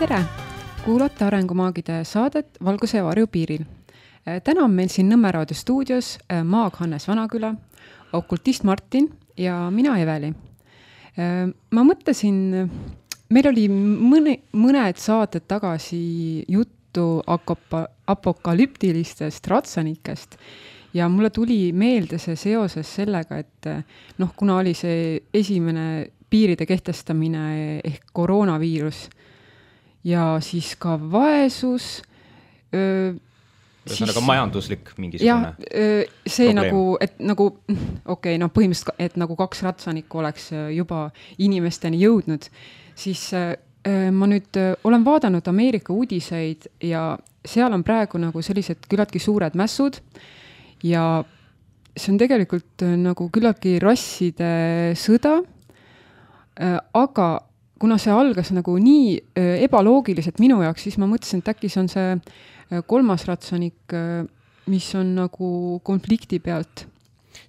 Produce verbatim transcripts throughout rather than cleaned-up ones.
Tere! Kuulate Arengumaagide saadet Valguse ja varju piiril. Täna on meil siin Nõmme raadio stuudios maag Hannes Vanaküla, okultist Martin ja mina Eveli. Ma mõtlesin, meil oli mõne, mõned saated tagasi juttu akopa, apokalüptilistest ratsanikest ja mulle tuli meelde see seoses sellega, et noh, kuna oli see esimene piiride kehtestamine ehk koroonaviirus ja siis ka vaesus. Öö, Ühesõnaga siis, majanduslik mingisugune ja, see probleem. nagu, et nagu, okei, okay, no põhimõtteliselt, et nagu kaks ratsanikku oleks juba inimesteni jõudnud, siis öö, ma nüüd olen vaadanud Ameerika uudiseid ja seal on praegu nagu sellised küllaltki suured mässud ja see on tegelikult nagu küllaltki rasside sõda, aga kuna see algas nagu nii ebaloogiliselt minu jaoks, siis ma mõtlesin, et äkki see on see kolmas ratsanik, mis on nagu konflikti pealt.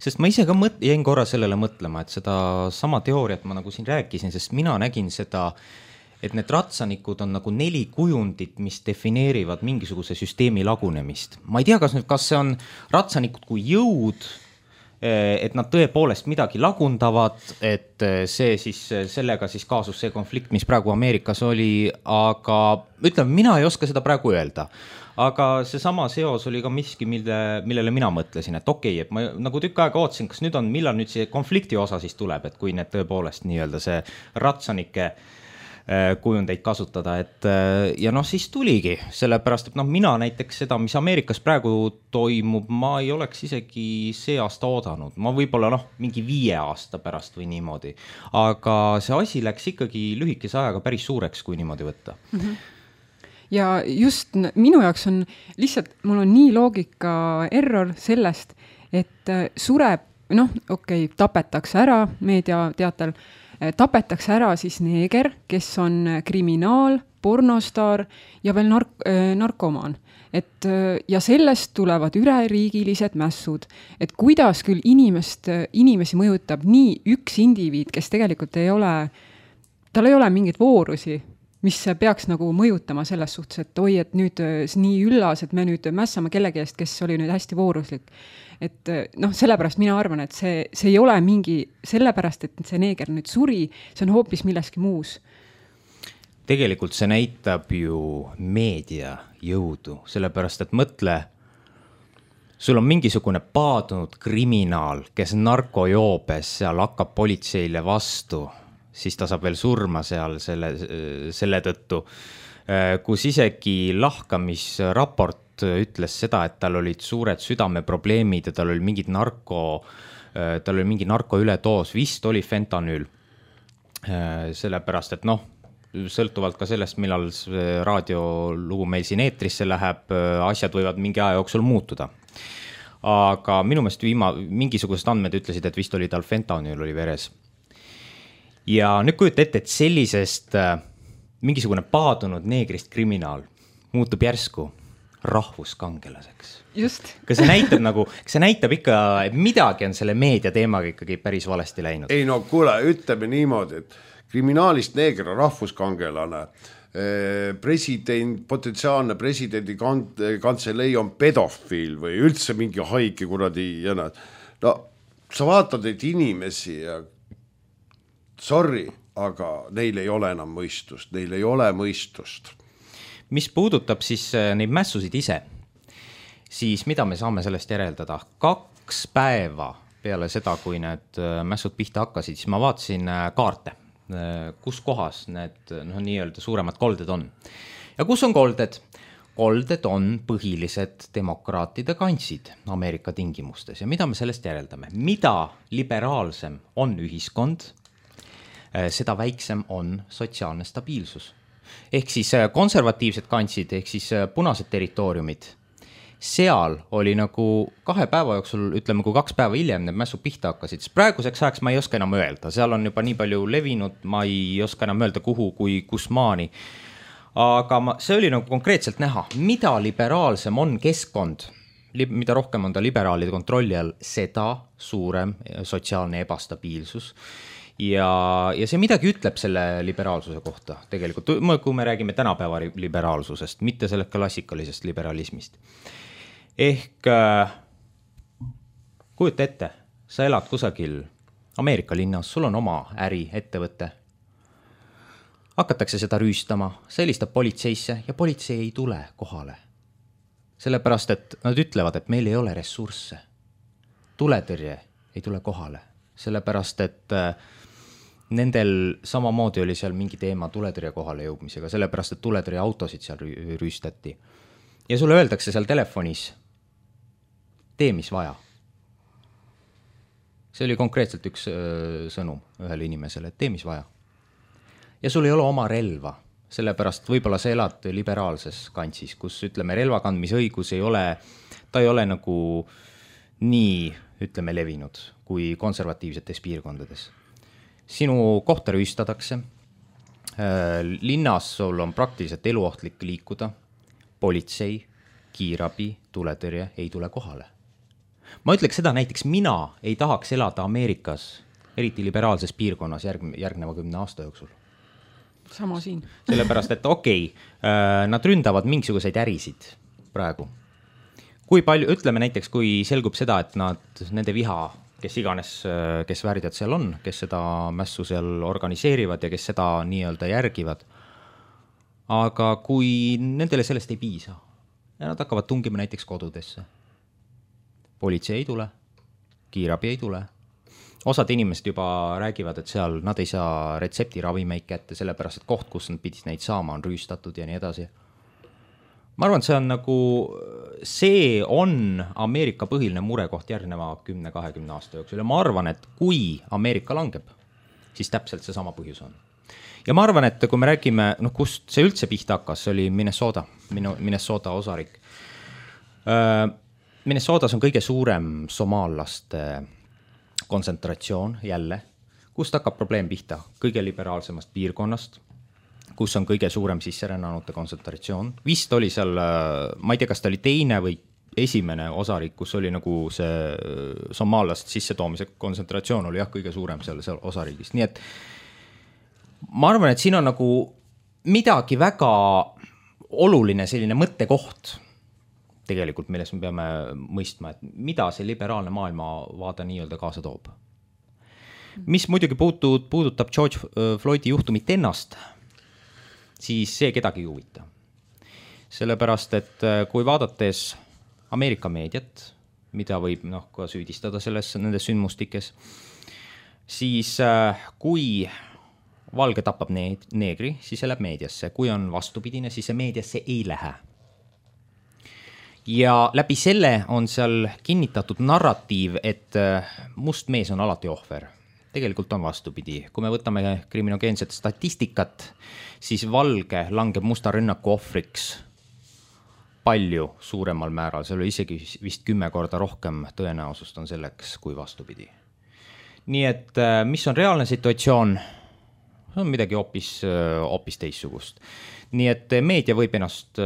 Sest ma ise ka mõt- jäin korra sellele mõtlema, et seda sama teooriat ma nagu siin rääkisin, sest mina nägin seda, et need ratsanikud on nagu neli kujundit, mis defineerivad mingisuguse süsteemi lagunemist. Ma ei tea, kas, nüüd, kas see on ratsanikud kui jõud, et nad tõepoolest midagi lagundavad, et see siis, sellega siis kaasus see konflikt, mis praegu Ameerikas oli, aga ütleme, mina ei oska seda praegu öelda. Aga see sama seos oli ka miski, mille, millele mina mõtlesin, et okei, okay, et ma nagu tükk aega ootsin, kas nüüd on, millal nüüd see konflikti osa siis tuleb, et kui need tõepoolest nii-öelda see ratsanike kujundeid kasutada, et ja noh, siis tuligi, sellepärast, et noh, mina näiteks seda, mis Ameerikas praegu toimub, ma ei oleks isegi see aasta oodanud, ma võib-olla noh, mingi viie aasta pärast või niimoodi, aga see asi läks ikkagi lühikese ajaga päris suureks, kui niimoodi võtta. Mm-hmm. Ja just minu jaoks on lihtsalt, mul on nii loogika error sellest, et sureb, noh, okei, okay, tapetakse ära meediateatel, tapetakse ära siis neeger, kes on kriminaal, pornostaar ja veel nark- narkomaan. Et, ja sellest tulevad üleriigilised mässud. Et kuidas küll inimest, inimesi mõjutab nii üks indiviid, kes tegelikult ei ole, tal ei ole mingit voorusi, mis peaks nagu mõjutama selles suhtes, et oi, et nüüd nii üllas, et me nüüd mässame kellegi eest, kes oli nüüd hästi vooruslik. Et noh, sellepärast mina arvan, et see, see ei ole mingi, sellepärast, et see neeger nüüd suri, see on hoopis milleski muus. Tegelikult see näitab ju meedia jõudu, sellepärast, et mõtle, sul on mingisugune paadunud kriminaal, kes narkojoobes seal hakkab politseile vastu, siis ta saab veel surma seal selle, selle tõttu, kus isegi lahkamisraport ütles seda, et tal olid suured südameprobleemid ja tal oli mingid narko, tal oli mingi narko ületoos, vist oli fentanüül. Sellepärast, et noh, sõltuvalt ka sellest, millal raadiolugu meil siin eetrisse läheb, asjad võivad mingi aja jooksul muutuda. Aga minu meelest viima, mingisugused andmed ütlesid, et vist oli tal fentanüül oli veres. Ja nüüd kujuta ette, et sellisest mingisugune paadunud neegrist kriminaal muutub järsku rahvuskangelaseks. Just. Kas see näitab nagu, kas see näitab ikka, et midagi on selle meedia teemaga ikkagi päris valesti läinud? Ei no kuule, ütleme niimoodi, et kriminaalist neeger on rahvuskangelane, president, potentsiaalne presidendi kantselei on pedofiil või üldse mingi haige kuradi ja nad. No sa vaatad neid inimesi ja sorry, aga neil ei ole enam mõistust, neil ei ole mõistust. Mis puudutab siis neid mässusid ise, siis mida me saame sellest järeldada? Kaks päeva peale seda, kui need mässud pihta hakkasid, siis ma vaatasin kaarte, kus kohas need no, nii-öelda suuremad kolded on. Ja kus on kolded? Kolded on põhilised demokraatide kantsid Ameerika tingimustes. Ja mida me sellest järeldame? Mida liberaalsem on ühiskond, seda väiksem on sotsiaalne stabiilsus. Ehk siis konservatiivsed kantsid, ehk siis punased territooriumid. Seal oli nagu kahe päeva jooksul, ütleme, kui kaks päeva hiljem need mässud pihta hakkasid. Praeguseks ajaks ma ei oska enam öelda. Seal on juba nii palju levinud, ma ei oska enam öelda kuhu kui kus maani. Aga ma, see oli nagu konkreetselt näha, mida liberaalsem on keskkond, mida rohkem on ta liberaalide kontrolli all, seda suurem sotsiaalne ebastabiilsus. ja, ja see midagi ütleb selle liberaalsuse kohta tegelikult, kui me räägime tänapäeva liberaalsusest, mitte sellest klassikalisest liberalismist. Ehk äh, kujuta ette, sa elad kusagil Ameerika linnas, sul on oma äri, ettevõte. Hakatakse seda rüüstama, sa helistab politseisse ja politsei ei tule kohale. Sellepärast, et nad ütlevad, et meil ei ole ressursse. Tuletõrje ei tule kohale. Sellepärast, et nendel samamoodi oli seal mingi teema tuletõrje kohale jõudmisega, sellepärast, et tuletõrje autosid seal rüüstati. Ja sulle öeldakse seal telefonis, tee mis vaja. See oli konkreetselt üks sõnum ühele inimesele, et tee mis vaja. Ja sul ei ole oma relva, sellepärast võib-olla sa elad liberaalses kantsis, kus ütleme relvakandmisõigus ei ole, ta ei ole nagu nii, ütleme, levinud kui konservatiivsetes piirkondades. Sinu kohta rüüstatakse, linnas sul on praktiliselt eluohtlik liikuda, politsei, kiirabi, tuletõrje ei tule kohale. Ma ütleks seda, näiteks mina ei tahaks elada Ameerikas, eriti liberaalses piirkonnas järg, järgneva kümne aasta jooksul. Sama siin. Sellepärast, et okei, okay, nad ründavad mingisuguseid ärisid praegu. Kui palju, ütleme näiteks, kui selgub seda, et nad, nende viha, kes iganes, kes värdjad seal on, kes seda mässu seal organiseerivad ja kes seda nii-öelda järgivad. Aga kui nendele sellest ei piisa ja nad hakkavad tungima näiteks kodudesse, politsei ei tule, kiirabi ei tule. Osad inimesed juba räägivad, et seal nad ei saa retseptiravimeid kätte, sellepärast, et koht, kus nad pidid neid saama, on rüüstatud ja nii edasi. Ma arvan, et see on nagu, see on Ameerika põhiline murekoht järgneva kümne kahekümne aasta jooksul ja ma arvan, et kui Ameerika langeb, siis täpselt see sama põhjus on. Ja ma arvan, et kui me räägime, noh, kust see üldse pihta hakkas, see oli Minnesota, Minnesota osarik. Minnesotas on kõige suurem somaallaste kontsentratsioon jälle, kust hakkab probleem pihta kõige liberaalsemast piirkonnast, kus on kõige suurem sisserännanute kontsentratsioon. Vist oli seal, ma ei tea, kas ta oli teine või esimene osarik, kus oli nagu see somaallast sissetoomise kontsentratsioon oli jah, kõige suurem seal, seal osariigist. Nii et ma arvan, et siin on nagu midagi väga oluline selline mõttekoht tegelikult, milles me peame mõistma, et mida see liberaalne maailmavaade nii-öelda kaasa toob. Mis muidugi puutud, puudutab George Floydi juhtumit ennast, siis see kedagi ei huvita. Sellepärast, et kui vaadates Ameerika meediat, mida võib noh, ka süüdistada selles, nendes sündmustikes, siis kui valge tapab neegri, siis see läheb meediasse. Kui on vastupidine, siis see meediasse ei lähe. Ja läbi selle on seal kinnitatud narratiiv, et must mees on alati ohver. Tegelikult on vastupidi. Kui me võtame kriminogeenset statistikat, siis valge langeb musta rünnaku ohvriks palju suuremal määral. See oli isegi vist kümme korda rohkem tõenäosust on selleks kui vastupidi. Nii et mis on reaalne situatsioon? See on midagi hoopis, hoopis teissugust. Nii et meedia võib ennast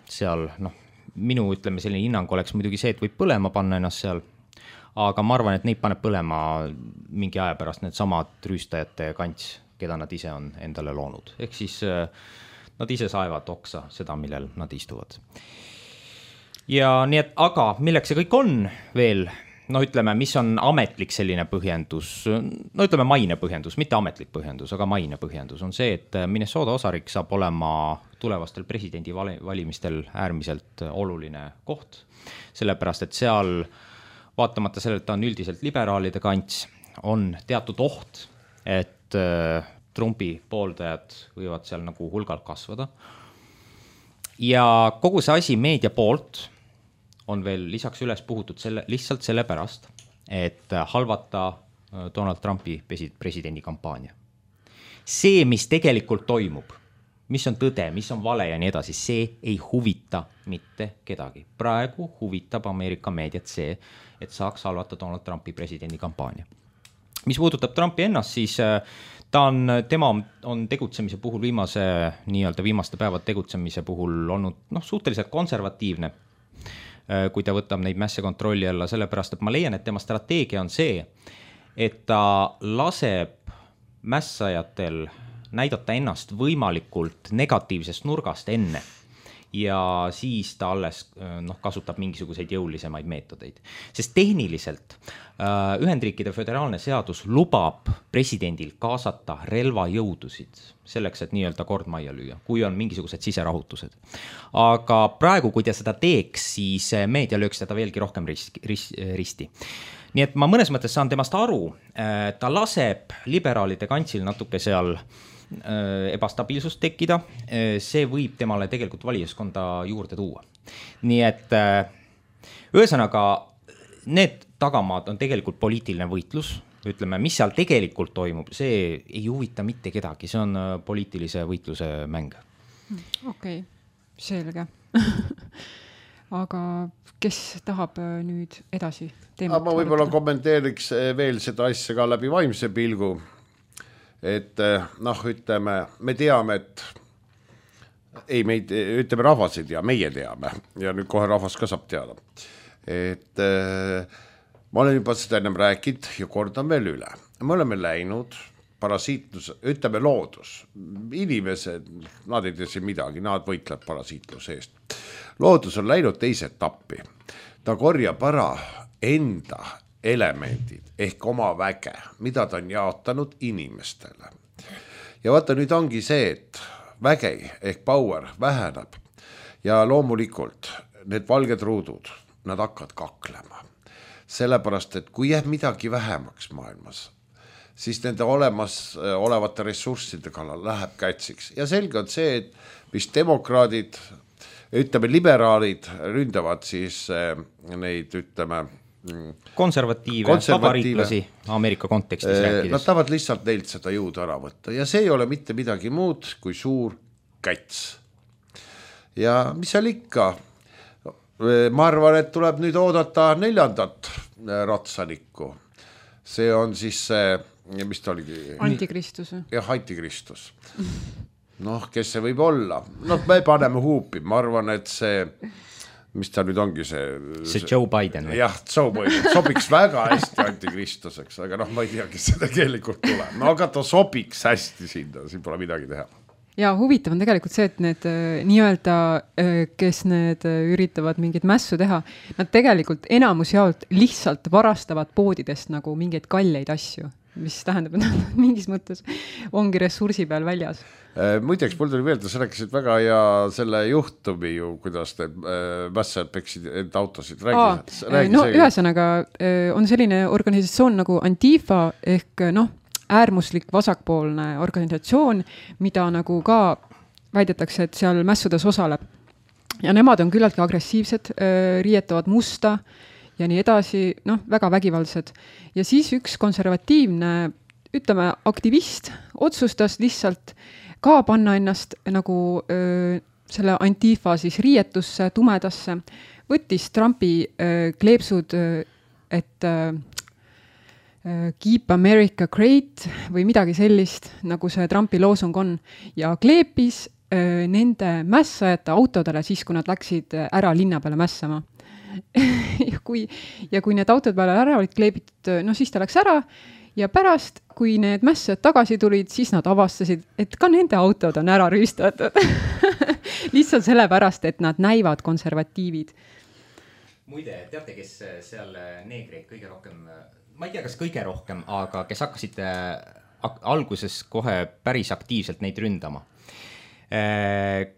seal, noh, minu ütleme selline hinnang oleks muidugi see, et võib põlema panna ennast seal, aga ma arvan, et neid paneb põlema mingi aja pärast need samad rüüstajate kants, keda nad ise on endale loonud. Ehk siis nad ise saevad oksa seda, millel nad istuvad. Ja nii et, aga milleks see kõik on veel, no ütleme, mis on ametlik selline põhjendus, no ütleme maine põhjendus, mitte ametlik põhjendus, aga maine põhjendus on see, et Minnesota osarik saab olema tulevastel presidendi valimistel äärmiselt oluline koht, sellepärast, et seal vaatamata sellelt ta on üldiselt liberaalide kants, on teatud oht, et Trumpi pooldajad võivad seal nagu hulgalt kasvada. Ja kogu see asi meedia poolt on veel lisaks üles puhutud selle, lihtsalt selle pärast, et halvata Donald Trumpi presidendi kampaania. See, mis tegelikult toimub, mis on tõde, mis on vale ja nii edasi, see ei huvita mitte kedagi. Praegu huvitab Ameerika meediat see, et saaks halvata Donald Trumpi presidendi kampaania. Mis puudutab Trumpi ennast, siis ta on, tema on tegutsemise puhul viimase, nii-öelda viimaste päevad tegutsemise puhul olnud noh, suhteliselt konservatiivne, kui ta võtab neid mässe kontrolli alla, sellepärast, et ma leian, et tema strateegia on see, et ta laseb mässajatel näidata ennast võimalikult negatiivsest nurgast enne ja siis ta alles noh, kasutab mingisuguseid jõulisemaid meetodeid. Sest tehniliselt äh, Ühendriikide föderaalne seadus lubab presidendil kaasata relvajõudusid selleks, et nii-öelda kord majja lüüa, kui on mingisugused siserahutused. Aga praegu, kui ta seda teeks, siis meedia lööks teda veelgi rohkem risti, risti. Nii et ma mõnes mõttes saan temast aru, ta laseb liberaalide kantsil natuke seal ebastabiilsust tekkida, see võib temale tegelikult valijaskonda juurde tuua. Nii et ühesõnaga need tagamaad on tegelikult poliitiline võitlus, ütleme, mis seal tegelikult toimub, see ei huvita mitte kedagi, see on poliitilise võitluse mäng. Okei, okay, selge. Aga kes tahab nüüd edasi teemat? Ma võib-olla kommenteeriks veel seda asja ka läbi vaimse pilgu. Et noh, ütleme, me teame, et ei, meid, ütleme, rahvas ei tea, meie teame ja nüüd kohe rahvas ka saab teada. Et ma olen juba seda ennem rääkinud ja kordan veel üle. Me oleme läinud parasiitlus, ütleme loodus. Inimesed, nad ei tea siin midagi, nad võitlevad parasiitluse eest. Loodus on läinud teise etappi. Ta korjab ära enda elemendid ehk oma väge, mida ta on jaotanud inimestele. Ja vaata, nüüd ongi see, et väge ehk power väheneb ja loomulikult need valged ruudud, nad hakkavad kaklema. Sellepärast, et kui jääb midagi vähemaks maailmas, siis nende olemas olevate ressursside kallal läheb kätsiks. Ja selge on see, et mis demokraadid, ütleme liberaalid ründavad siis neid, ütleme, konservatiive, vabariiklasi Ameerika kontekstis rääkides. Nad tahavad lihtsalt neilt seda jõudu ära võtta ja see ei ole mitte midagi muud kui suur käts. Ja mis seal ikka? Ma arvan, et tuleb nüüd oodata neljandat ratsanikku. See on siis see, mis ta oligi? Antikristus. Jah, antikristus. Noh, kes see võib olla? Noh, me paneme huupi. Ma arvan, et see... mis ta nüüd ongi see... See Joe Biden. Jah, Joe Biden. Sobiks väga hästi antikristuseks, aga noh, ma ei tea, kes see tegelikult tuleb. No aga ta sobiks hästi sinna, siin pole midagi teha. Ja huvitav on tegelikult see, et need nii-öelda, kes need üritavad mingit mässu teha, nad tegelikult enamus jaolt lihtsalt varastavad poodidest nagu mingeid kalleid asju, mis tähendab, et mingis mõttes ongi ressursi peal väljas. Muideks, mul tuli meelde, sa rääkisid väga ja selle juhtumi ju, kuidas need mässajad peksid enda autosid. Räägi, räägi no ühesõnaga on selline organisatsioon nagu Antifa ehk noh, äärmuslik vasakpoolne organisatsioon, mida nagu ka väidetakse, et seal mässudes osaleb. Ja nemad on küllalt agressiivsed, riietavad musta ja nii edasi, noh, väga vägivaldsed. Ja siis üks konservatiivne, ütleme, aktivist otsustas lihtsalt ka panna ennast nagu öö, selle Antifa siis riietusse, tumedasse, võttis Trumpi öö, kleepsud, öö, et öö, Keep America Great või midagi sellist, nagu see Trumpi loosung on, ja kleepis öö, nende mässajate autodele siis, kui nad läksid ära linna peale mässama. ja, kui, ja kui need autod peale ära olid kleebitud, no siis ta läks ära ja pärast, kui need mässajad tagasi tulid, siis nad avastasid, et ka nende autod on ära rüüstatud. Lihtsalt sellepärast, et nad näivad konservatiivid. Muide, teate, kes seal neegreid kõige rohkem, ma ei tea, kas kõige rohkem, aga kes hakkasid alguses kohe päris aktiivselt neid ründama.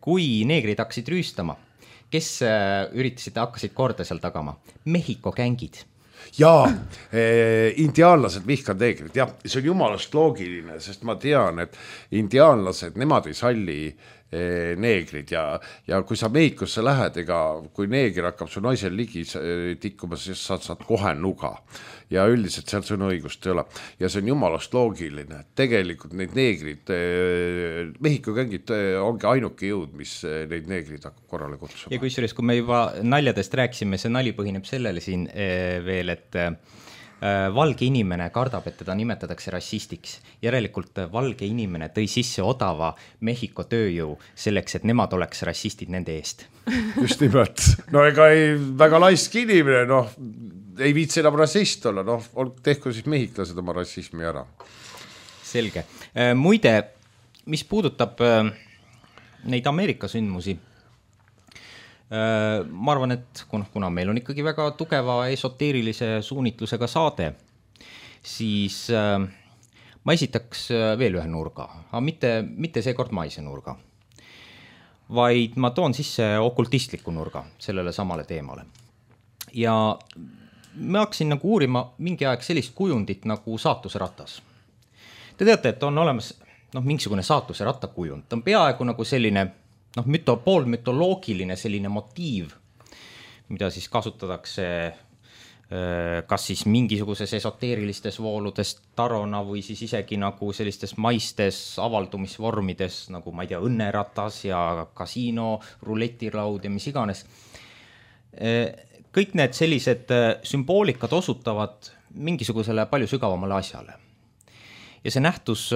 Kui neegreid hakkasid rüüstama, kes üritasid, hakkasid korda seal tagama? Mehhiko gängid. Jaa, eh, indiaanlased vihkavad neegrid, jah, see on jumalast loogiline, sest ma tean, et indiaanlased, nemad ei salli eh, neegrid ja, ja kui sa Mehhikosse lähed, ega kui neegri hakkab su naisel ligi tikkuma, siis sa saad kohe nuga ja üldiselt seal sõna õigust ei ole ja see on jumalast loogiline, tegelikult neid neegrid eh, Mehhiko gängid eh, ongi ainuke jõud, mis eh, neid neegrid hakkab korrale kutsuma. Ja kusjuures, kui me juba naljadest rääksime, see nali põhineb sellele siin eh, veel, et äh, valge inimene kardab, et teda nimetatakse rassistiks. Järelikult valge inimene tõi sisse odava Mehhiko tööjõu selleks, et nemad oleks rassistid nende eest. Just nimelt. No ega ei väga laisk inimene, noh, ei viitsi enam rassist olla, noh, tehku siis mehhiklased oma rassismi ära. Selge. Muide, mis puudutab neid Ameerika sündmusi, ma arvan, et kuna meil on ikkagi väga tugeva esoteerilise suunitlusega saade, siis ma esitaks veel ühe nurga, aga mitte, mitte seekord maise nurga, vaid ma toon sisse okultistliku nurga sellele samale teemale. Ja ma hakkasin nagu uurima mingi aeg sellist kujundit nagu saatuse ratas. Te teate, et on olemas noh, mingisugune saatuse ratta kujund. Ta on peaaegu nagu selline noh, müto, poolmütoloogiline selline motiiv, mida siis kasutatakse kas siis mingisuguses esoteerilistes vooludes tarona või siis isegi nagu sellistes maistes avaldumisvormides, nagu ma ei tea, õnneratas ja kasiino, ruletilaud ja mis iganes. Kõik need sellised sümboolikad osutavad mingisugusele palju sügavamale asjale. Ja see nähtus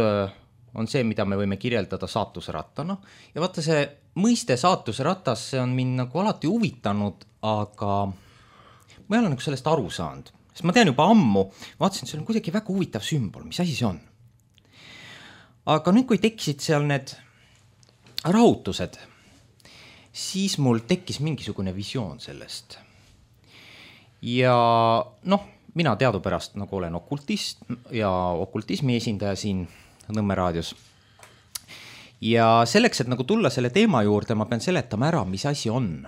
on see, mida me võime kirjeldada saatuse rattana. Ja vaata see mõiste saatuse ratas, see on mind nagu alati huvitanud, aga ma ei ole nagu sellest aru saanud. Sest ma tean juba ammu, vaatasin, et see on kuidagi väga huvitav sümbol, mis asi see on. Aga nüüd, kui tekkisid seal need rahutused, siis mul tekkis mingisugune visioon sellest. Ja noh, mina teadupärast nagu olen okultist ja okultismi esindaja siin Nõmme raadios. Ja selleks, et nagu tulla selle teema juurde, ma pean seletama ära, mis asi on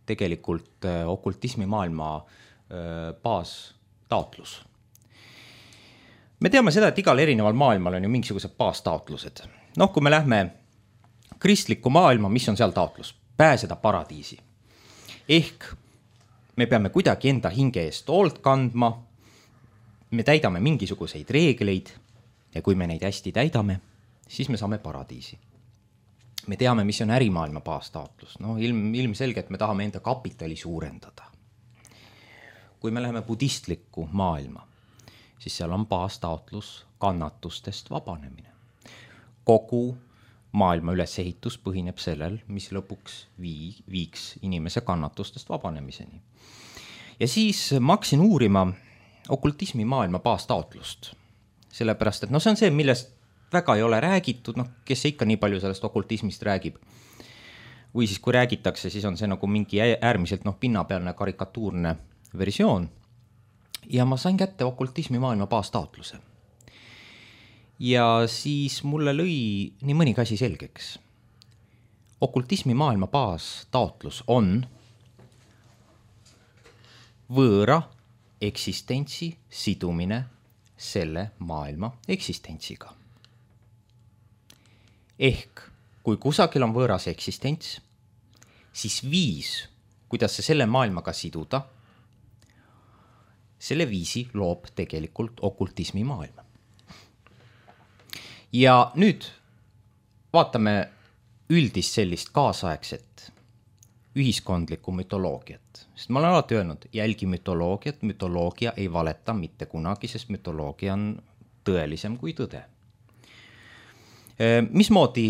tegelikult okultismi maailma baastaotlus. Me teame seda, et igal erineval maailmal on ju mingisugused baastaotlused. Noh, kui me lähme kristlikku maailma, mis on seal taotlus? Pääseda paradiisi. Ehk me peame kuidagi enda hinge eest hoolt kandma, me täidame mingisuguseid reegleid ja kui me neid hästi täidame, siis me saame paradiisi. Me teame, mis on ärimaailma baastaotlus. No, ilm, ilmselge, et me tahame enda kapitali suurendada. Kui me läheme budistlikku maailma, siis seal on baastaotlus kannatustest vabanemine. Kogu maailma ülesehitus põhineb sellel, mis lõpuks vii, viiks inimese kannatustest vabanemiseni. Ja siis ma hakkasin uurima okultismi maailma baastaotlust. Sellepärast, et no see on see, millest väga ei ole räägitud, noh, kes ikka nii palju sellest okultismist räägib. Või siis kui räägitakse, siis on see nagu mingi äärmiselt noh, pinnapealne karikatuurne versioon. Ja ma sain kätte okultismi maailma baastaotluse. Ja siis mulle lõi nii mõnigi asi selgeks. Okultismi maailma baastaotlus on võõra eksistentsi sidumine selle maailma eksistentsiga. Ehk kui kusagil on võõras eksistents, siis viis, kuidas see selle maailmaga siduda, selle viisi loob tegelikult okultismi maailma. Ja nüüd vaatame üldist sellist kaasaegset ühiskondlikku mütoloogiat. Sest ma olen alati öelnud, jälgi mütoloogiat, mütoloogia ei valeta mitte kunagi, sest mütoloogia on tõelisem kui tõde. Mismoodi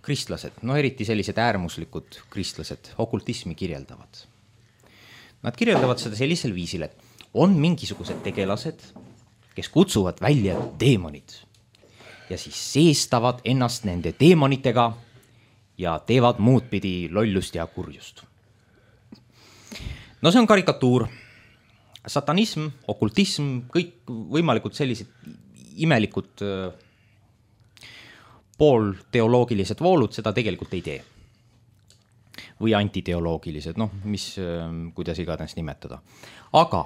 kristlased, no eriti sellised äärmuslikud kristlased, okultismi kirjeldavad? Nad kirjeldavad seda sellisel viisil, et on mingisugused tegelased, kes kutsuvad välja teemonid ja siis seestavad ennast nende teemonitega ja teevad muud pidi lollust ja kurjust. No see on karikatuur. Satanism, okultism, kõik võimalikud sellised imelikud poolteoloogilised voolud seda tegelikult ei tee. Või antiteoloogilised, noh, mis, kuidas igatahes nimetada. Aga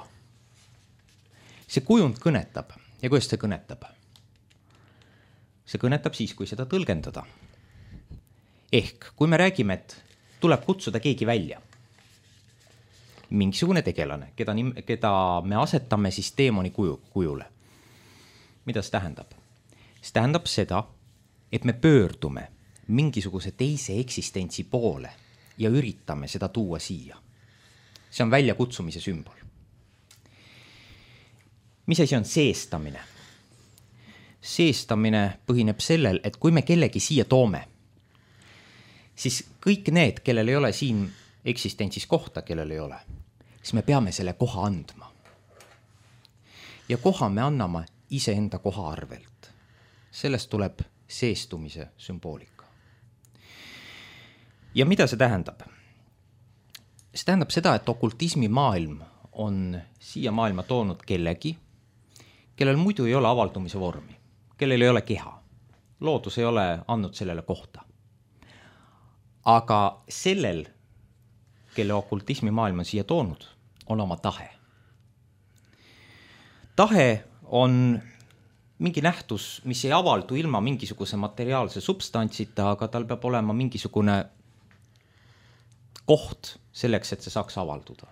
see kujund kõnetab. Ja kuidas see kõnetab? See kõnetab siis, kui seda tõlgendada. Ehk, kui me räägime, et tuleb kutsuda keegi välja, mingisugune tegelane, keda, keda me asetame siis teemoni kuju, kujule. Mida see tähendab? See tähendab seda, et me pöördume mingisuguse teise eksistentsi poole ja üritame seda tuua siia. See on väljakutsumise sümbol. Mis asi on seestamine? Seestamine põhineb sellel, et kui me kellegi siia toome, siis kõik need, kellel ei ole siin eksistentsis kohta, kellel ei ole, siis me peame selle koha andma. ja koha me anname iseenda koha arvelt. Sellest tuleb seestumise sümboolika. Ja mida see tähendab? See tähendab seda, et okultismi maailm on siia maailma toonud kellegi, kellel muidu ei ole avaldumise vormi, kellel ei ole keha. Loodus ei ole andnud sellele kohta. Aga sellel, kelle okultismi maailm on siia toonud, on oma tahe. Tahe on mingi nähtus, mis ei avaldu ilma mingisuguse materiaalse substantsita, aga tal peab olema mingisugune koht selleks, et see saaks avalduda.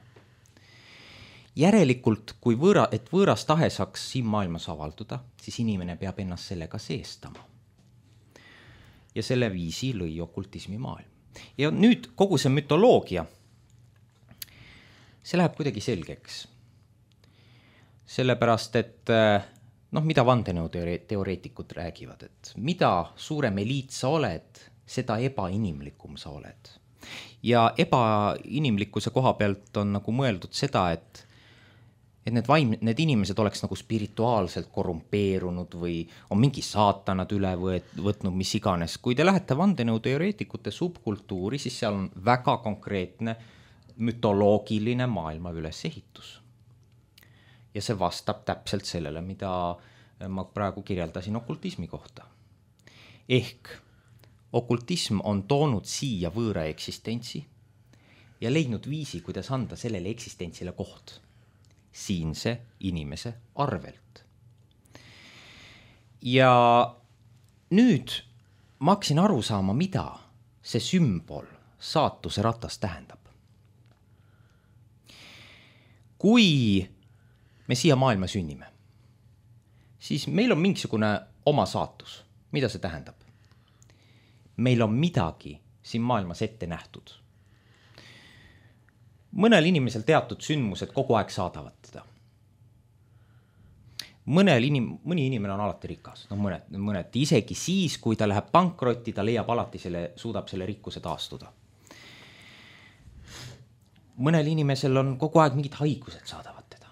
Järelikult, kui võõra, et võõras tahe saaks siin maailmas avalduda, siis inimene peab ennast sellega seestama. Ja selle viisi lõi okultismi maailm. Ja nüüd kogu see mütoloogia, see läheb kuidagi selgeks. Sellepärast, et noh, mida vandenõuteoreetikud räägivad, et mida suurem eliit sa oled, seda ebainimlikum sa oled. Ja ebainimlikkuse koha pealt on nagu mõeldud seda, et et need, vaim, need inimesed oleks nagu spirituaalselt korrumpeerunud või on mingi saatanad üle võet, võtnud, mis iganes. Kui te lähete vandenõuteoreetikute subkultuuri, siis seal on väga konkreetne mütoloogiline maailma ülesehitus. Ja see vastab täpselt sellele, mida ma praegu kirjeldasin okultismi kohta. Ehk okultism on toonud siia võõra eksistentsi ja leidnud viisi, kuidas anda sellele eksistentsile koht siinse inimese arvelt. Ja nüüd ma hakkasin aru saama, mida see sümbol saatuse ratas tähendab. Kui me siia maailma sünnime, siis meil on mingisugune oma saatus. Mida see tähendab? Meil on midagi siin maailmas ette nähtud. Mõnel inimesel teatud sündmused kogu aeg saadavad teda. Mõnel inim, mõni inimene on alati rikas. No mõned, mõned isegi siis, kui ta läheb pankrotti, ta leiab alati selle, suudab selle rikkuse taastuda. Mõnel inimesel on kogu aeg mingid haigused saadavad teda.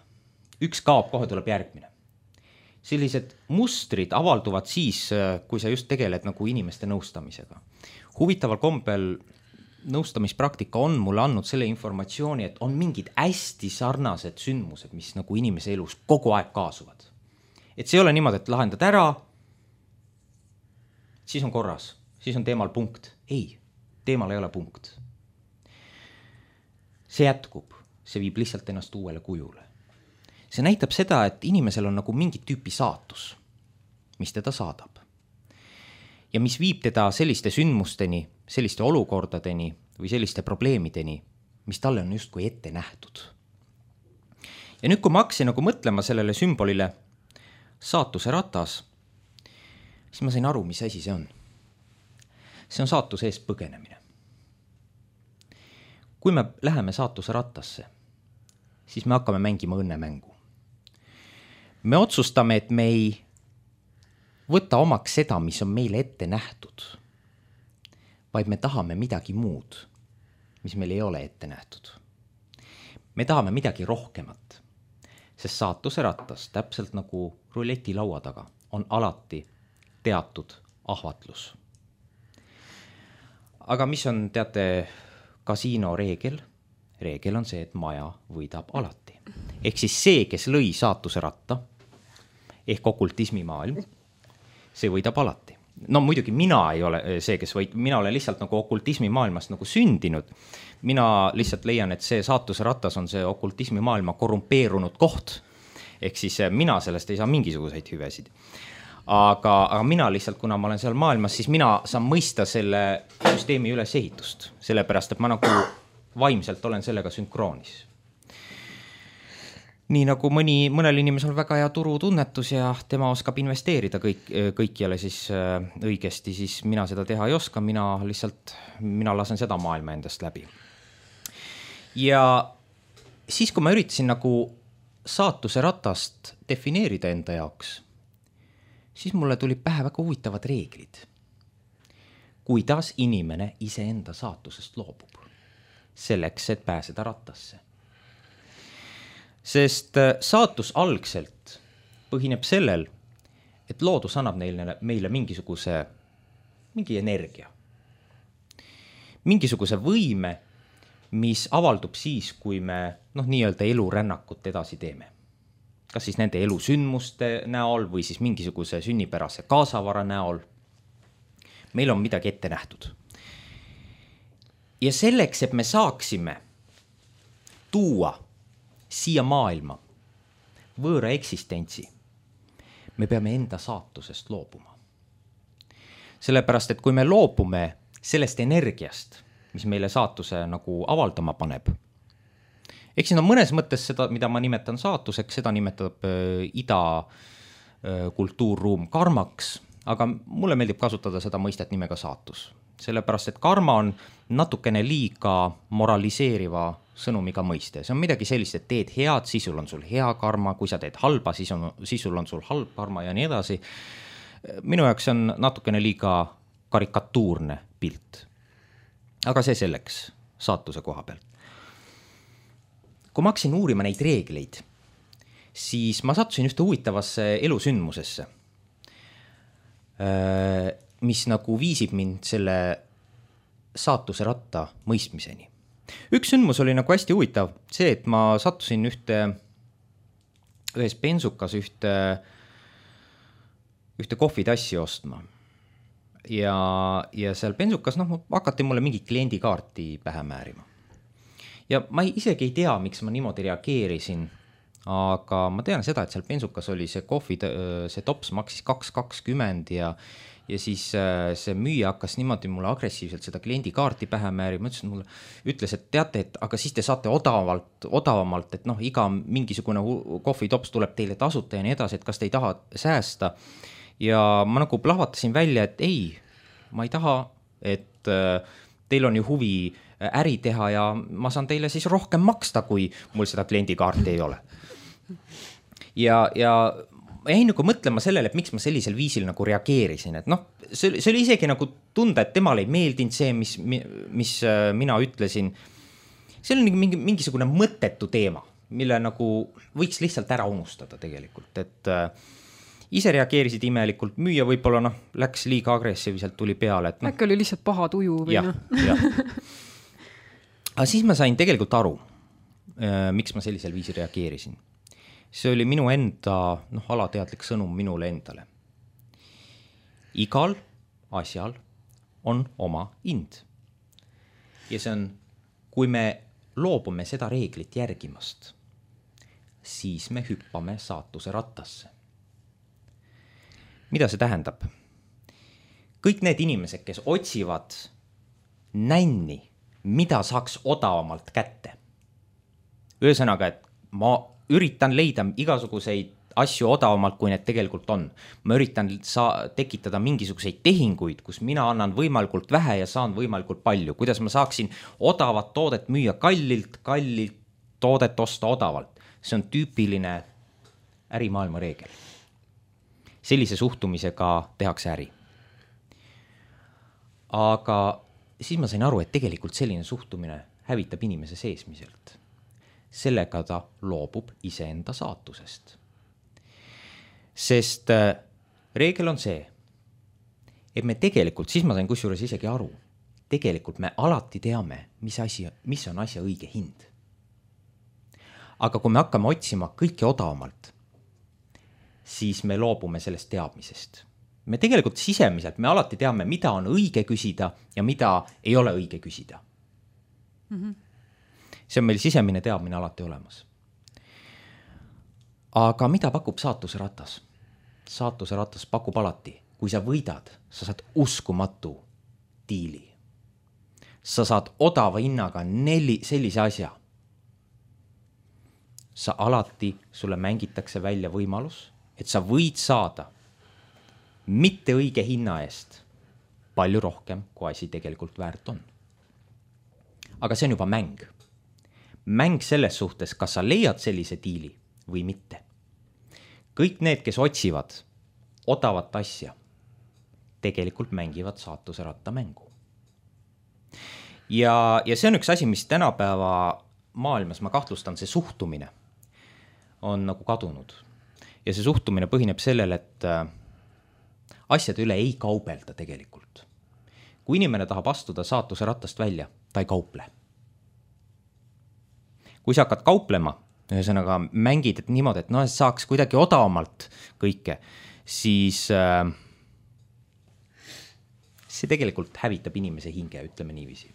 Üks kaob, kohe tuleb järgmine. Sellised mustrid avalduvad siis, kui sa just tegeled nagu inimeste nõustamisega. Huvitaval kombel nõustamispraktika on mulle andnud selle informatsiooni, et on mingid hästi sarnased sündmused, mis nagu inimese elus kogu aeg kaasuvad. Et see ei ole niimoodi, et lahendad ära, siis on korras, siis on teemal punkt. Ei, teemal ei ole punkt. See jätkub, see viib lihtsalt ennast uuele kujule. See näitab seda, et inimesel on nagu mingi tüüpi saatus, mis teda saadab. Ja mis viib teda selliste sündmusteni, selliste olukordadeni või selliste probleemideni, mis talle on justkui ette nähtud. Ja nüüd, kui ma hakkasin nagu mõtlema sellele sümbolile saatuse ratas, siis ma sain aru, mis asi see on. See on saatuse eest põgenemine. Kui me läheme saatuse rattasse, siis me hakkame mängima õnnemängu. Me otsustame, et me ei võtta omaks seda, mis on meile ette nähtud, vaid me tahame midagi muud, mis meil ei ole ette nähtud. Me tahame midagi rohkemat, sest saatuse rattas, täpselt nagu ruleti laua taga, on alati teatud ahvatlus. Aga mis on, teate, kasiino reegel? Reegel on see, et maja võidab alati. Ehk siis see, kes lõi saatuse ratta, ehk okultismi maailm, see võidab alati. No muidugi mina ei ole see, kes võid, mina olen lihtsalt nagu okultismi maailmast nagu sündinud. Mina lihtsalt leian, et see saatuse ratas on see okultismi maailma korrumpeerunud koht. Ehk siis mina sellest ei saa mingisuguseid hüvesid. Aga, aga mina lihtsalt, kuna ma olen seal maailmas, siis mina saan mõista selle süsteemi ülesehitust. Sellepärast, et ma nagu vaimselt olen sellega sünkroonis. Nii nagu mõni, mõnel inimesel on väga hea turutunnetus ja tema oskab investeerida kõik, kõikjale siis õigesti, siis mina seda teha ei oska, mina lihtsalt, mina lasen seda maailma endast läbi. Ja siis, kui ma üritasin nagu saatuse ratast defineerida enda jaoks, siis mulle tuli pähe väga huvitavad reeglid. Kuidas inimene iseenda saatusest loobub selleks, et pääseda rattasse. Sest saatus algselt põhineb sellel, et loodus annab neile, meile mingisuguse, mingi energia. Mingisuguse võime, mis avaldub siis, kui me noh, nii-öelda elurännakut edasi teeme. Kas siis nende elusündmuste näol või siis mingisuguse sünnipärase kaasavara näol. Meil on midagi ette nähtud. Ja selleks, et me saaksime tuua siia maailma võõra eksistentsi, me peame enda saatusest loobuma. Sellepärast, et kui me loobume sellest energiast, mis meile saatuse nagu avaldama paneb, eks siin on mõnes mõttes seda, mida ma nimetan saatuseks, seda nimetab äh, ida äh, kultuurruum karmaks, aga mulle meeldib kasutada seda mõistet nimega saatus. Sellepärast, et karma on natukene liiga moraliseeriva sõnumiga mõiste. See on midagi sellist, et teed head, siis sul on sul hea karma, kui sa teed halba, siis, on, siis sul on sul halb karma ja nii edasi. Minu jaoks on natukene liiga karikatuurne pilt. Aga see selleks saatuse koha pealt. Kui ma hakkasin uurima neid reegleid, siis ma sattusin ühte huvitavasse elusündmusesse, mis nagu viisib mind selle saatuse ratta mõistmiseni. Üks sündmus oli nagu hästi huvitav, see, et ma sattusin ühte, ühes bensukas ühte, ühte kohvitassi ostma. Ja, ja seal bensukas noh, hakati mulle mingi kliendikaarti pähe määrima. Ja ma isegi ei tea, miks ma niimoodi reageerisin, aga ma tean seda, et seal bensukas oli see kohvi, see tops maksis kaks kakskümmend ja ja siis see müüja hakkas niimoodi mulle agressiivselt seda kliendikaarti pähe määrima, ütles, mulle, ütles, et teate, et aga siis te saate odavalt, odavamalt, et noh, iga mingisugune kohvitops tuleb teile tasuta ja nii edasi, et kas te ei taha säästa. Ja ma nagu plahvatasin välja, et ei, ma ei taha, et teil on ju huvi äri teha ja ma saan teile siis rohkem maksta, kui mul seda kliendikaarti ei ole. Ja, ja ma jäin nagu mõtlema sellele, et miks ma sellisel viisil nagu reageerisin, et noh, see, see oli isegi nagu tunda, et temale ei meeldinud see, mis, mis mina ütlesin. See oli mingi, mingisugune mõttetu teema, mille nagu võiks lihtsalt ära unustada tegelikult, et äh, ise reageerisid imelikult, müüa võib-olla noh, läks liiga agressiivselt, tuli peale. Et, no, äkki oli lihtsalt paha tuju või jah, noh. jah. Aga siis ma sain tegelikult aru, äh, miks ma sellisel viisil reageerisin. See oli minu enda, noh, alateadlik sõnum minule endale. Igal asjal on oma hind. Ja see on, kui me loobume seda reeglit järgimast, siis me hüppame saatuse rattasse. Mida see tähendab? Kõik need inimesed, kes otsivad nänni, mida saaks odavamalt kätte. Ühesõnaga, et ma üritan leida igasuguseid asju odavamalt, kui need tegelikult on. Ma üritan saa, tekitada mingisuguseid tehinguid, kus mina annan võimalikult vähe ja saan võimalikult palju. Kuidas ma saaksin odavat toodet müüa kallilt, kallilt toodet osta odavalt. See on tüüpiline ärimaailma reegel. Sellise suhtumisega tehakse äri. Aga siis ma sain aru, et tegelikult selline suhtumine hävitab inimese seesmiselt. Sellega ta loobub iseenda saatusest. Sest äh, reegel on see, et me tegelikult, siis ma sain kusjuures isegi aru, tegelikult me alati teame, mis, asi, mis on asja õige hind. Aga kui me hakkame otsima kõike odavamalt, siis me loobume sellest teadmisest. Me tegelikult sisemiselt, me alati teame, mida on õige küsida ja mida ei ole õige küsida. Mhm. See on meil sisemine teadmine alati olemas. Aga mida pakub saatuse ratas? Saatuse ratas pakub alati, kui sa võidad, sa saad uskumatu diili. Sa saad odava hinnaga neli sellise asja. Sa alati, sulle mängitakse välja võimalus, et sa võid saada mitte õige hinna eest palju rohkem, kui asi tegelikult väärt on. Aga see on juba mäng. Mäng selles suhtes, kas sa leiad sellise diili või mitte. Kõik need, kes otsivad odavat asja, tegelikult mängivad saatuse ratta mängu. Ja, ja see on üks asi, mis tänapäeva maailmas, ma kahtlustan, see suhtumine on nagu kadunud. ja see suhtumine põhineb sellel, et asjade üle ei kaubelda tegelikult. Kui inimene tahab astuda saatuse ratast välja, ta ei kauple. Kui sa hakkad kauplema, ühesõnaga mängid et niimoodi, et no, saaks kuidagi odavamalt kõike, siis äh, see tegelikult hävitab inimese hinge, ütleme niiviisi.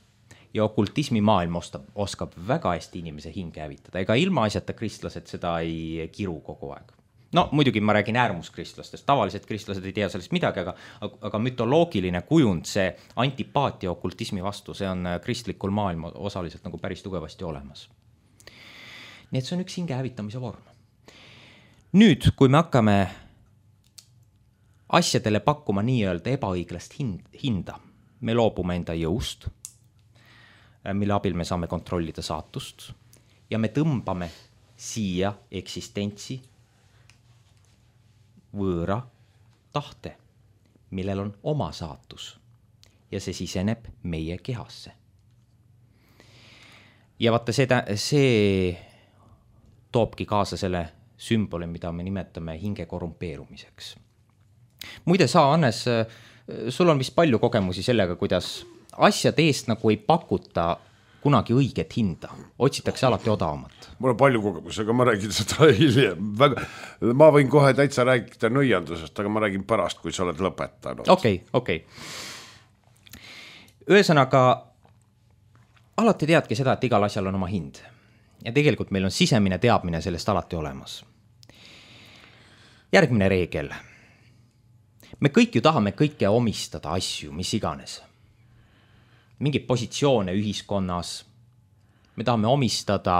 Ja okultismi maailm oskab, oskab väga hästi inimese hinge hävitada. Ega ilma asjata kristlased seda ei kiru kogu aeg. No muidugi ma räägin äärmuskristlasest, tavalised kristlased ei tea sellest midagi, aga, aga mütoloogiline kujund, see antipaatia okultismi vastu, see on kristlikul maailma osaliselt nagu päris tugevasti olemas. Nii et see on üks hinge hävitamise vorm. Nüüd, kui me hakkame asjadele pakkuma nii-öelda ebaõiglast hinda, me loobume enda jõust, mille abil me saame kontrollida saatust ja me tõmbame siia eksistentsi võõra tahte, millel on oma saatus ja see siseneb meie kehasse. Ja vaata seda, see toobki kaasa selle sümboli, mida me nimetame hinge korrumpeerumiseks. Muide sa, Hannes, sul on vist palju kogemusi sellega, kuidas asjade eest nagu ei pakuta kunagi õiget hinda, otsitakse alati odavamat. Mul on palju kogemusi, aga ma räägin seda hiljem. Väga, ma võin kohe täitsa rääkida nõiandusest, aga ma räägin pärast, kui sa oled lõpetanud. Okei, okay, okei. Okay. Ühesõnaga, alati teadki seda, et igal asjal on oma hind. Ja tegelikult meil on sisemine teadmine sellest alati olemas. Järgmine reegel. Me kõik ju tahame kõike omistada asju, mis iganes. Mingid positsioone ühiskonnas. Me tahame omistada,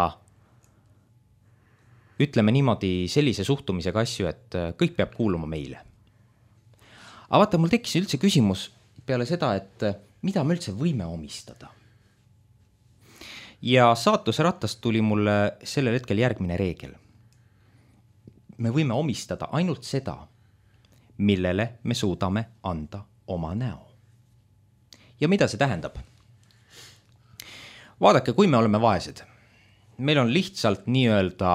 ütleme niimoodi, sellise suhtumisega asju, et kõik peab kuuluma meile. Aga vaata, mul tekkis üldse küsimus peale seda, et mida me üldse võime omistada. Ja saatuse ratast tuli mulle sellel hetkel järgmine reegel. Me võime omistada ainult seda, millele me suudame anda oma näo. Ja mida see tähendab? Vaadake, kui me oleme vaesed, meil on lihtsalt nii-öelda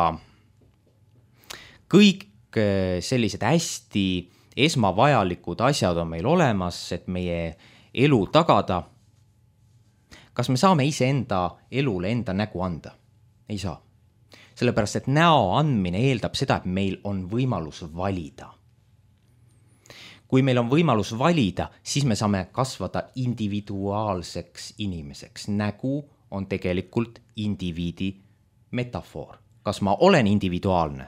kõik sellised hästi esmavajalikud asjad on meil olemas, et meie elu tagada. Kas me saame ise enda elule enda nägu anda? Ei saa. Sellepärast, et näo andmine eeldab seda, et meil on võimalus valida. Kui meil on võimalus valida, siis me saame kasvada individuaalseks inimeseks. Nägu on tegelikult indiviidi metafoor. Kas ma olen individuaalne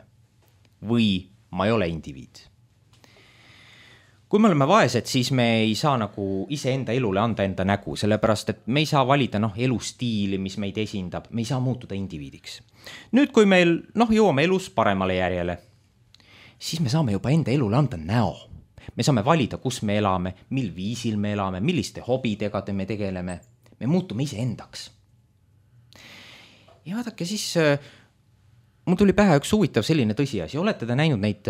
või ma ei ole indiviid? Kui me oleme vaesed, siis me ei saa nagu ise enda elule anda enda nägu, sellepärast, et me ei saa valida noh, elustiili, mis meid esindab, me ei saa muutuda indiviidiks. Nüüd, kui meil noh, jõuame elus paremale järjele, siis me saame juba enda elule anda näo. Me saame valida, kus me elame, mil viisil me elame, milliste hobidega me tegeleme. Me muutume ise endaks. Ja vaadake siis, mul tuli pähe üks huvitav selline tõsiasi. Olete te näinud neid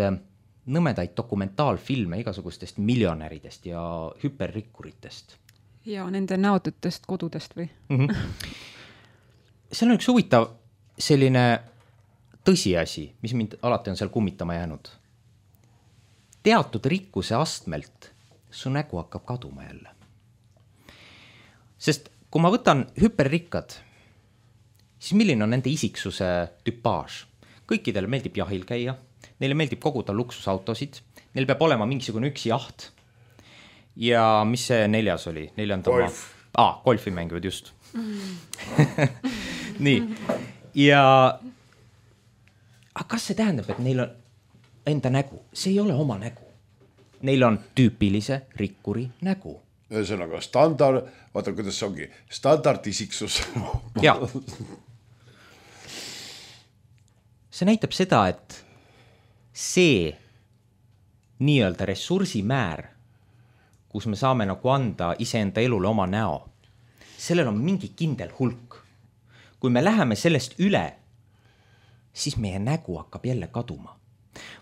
nõmedaid dokumentaalfilme igasugustest miljonäridest ja hüperrikkuritest? Ja nende näotutest kodudest või? Mm-hmm. Seal on üks huvitav selline tõsiasi, mis mind alati on seal kummitama jäänud. Teatud rikkuse astmelt su nägu hakkab kaduma jälle. Sest kui ma võtan hüperrikkad, siis milline on nende isiksuse tüpaaž? Kõikidele meeldib jahil käia, neile meeldib koguda luksusautosid, neil peab olema mingisugune üks jaht. Ja mis see neljas oli? Golf. Ah, golfi mängivad just. Nii. Ja aga kas see tähendab, et neil on enda nägu? See ei ole oma nägu. Neil on tüüpilise rikkuri nägu. Ühesõnaga standard, vaata kuidas see ongi, standardisiksus. Ja. See näitab seda, et see nii-öelda ressursimäär, kus me saame nagu anda iseenda elule oma näo, sellel on mingi kindel hulk. Kui me läheme sellest üle, siis meie nägu hakkab jälle kaduma.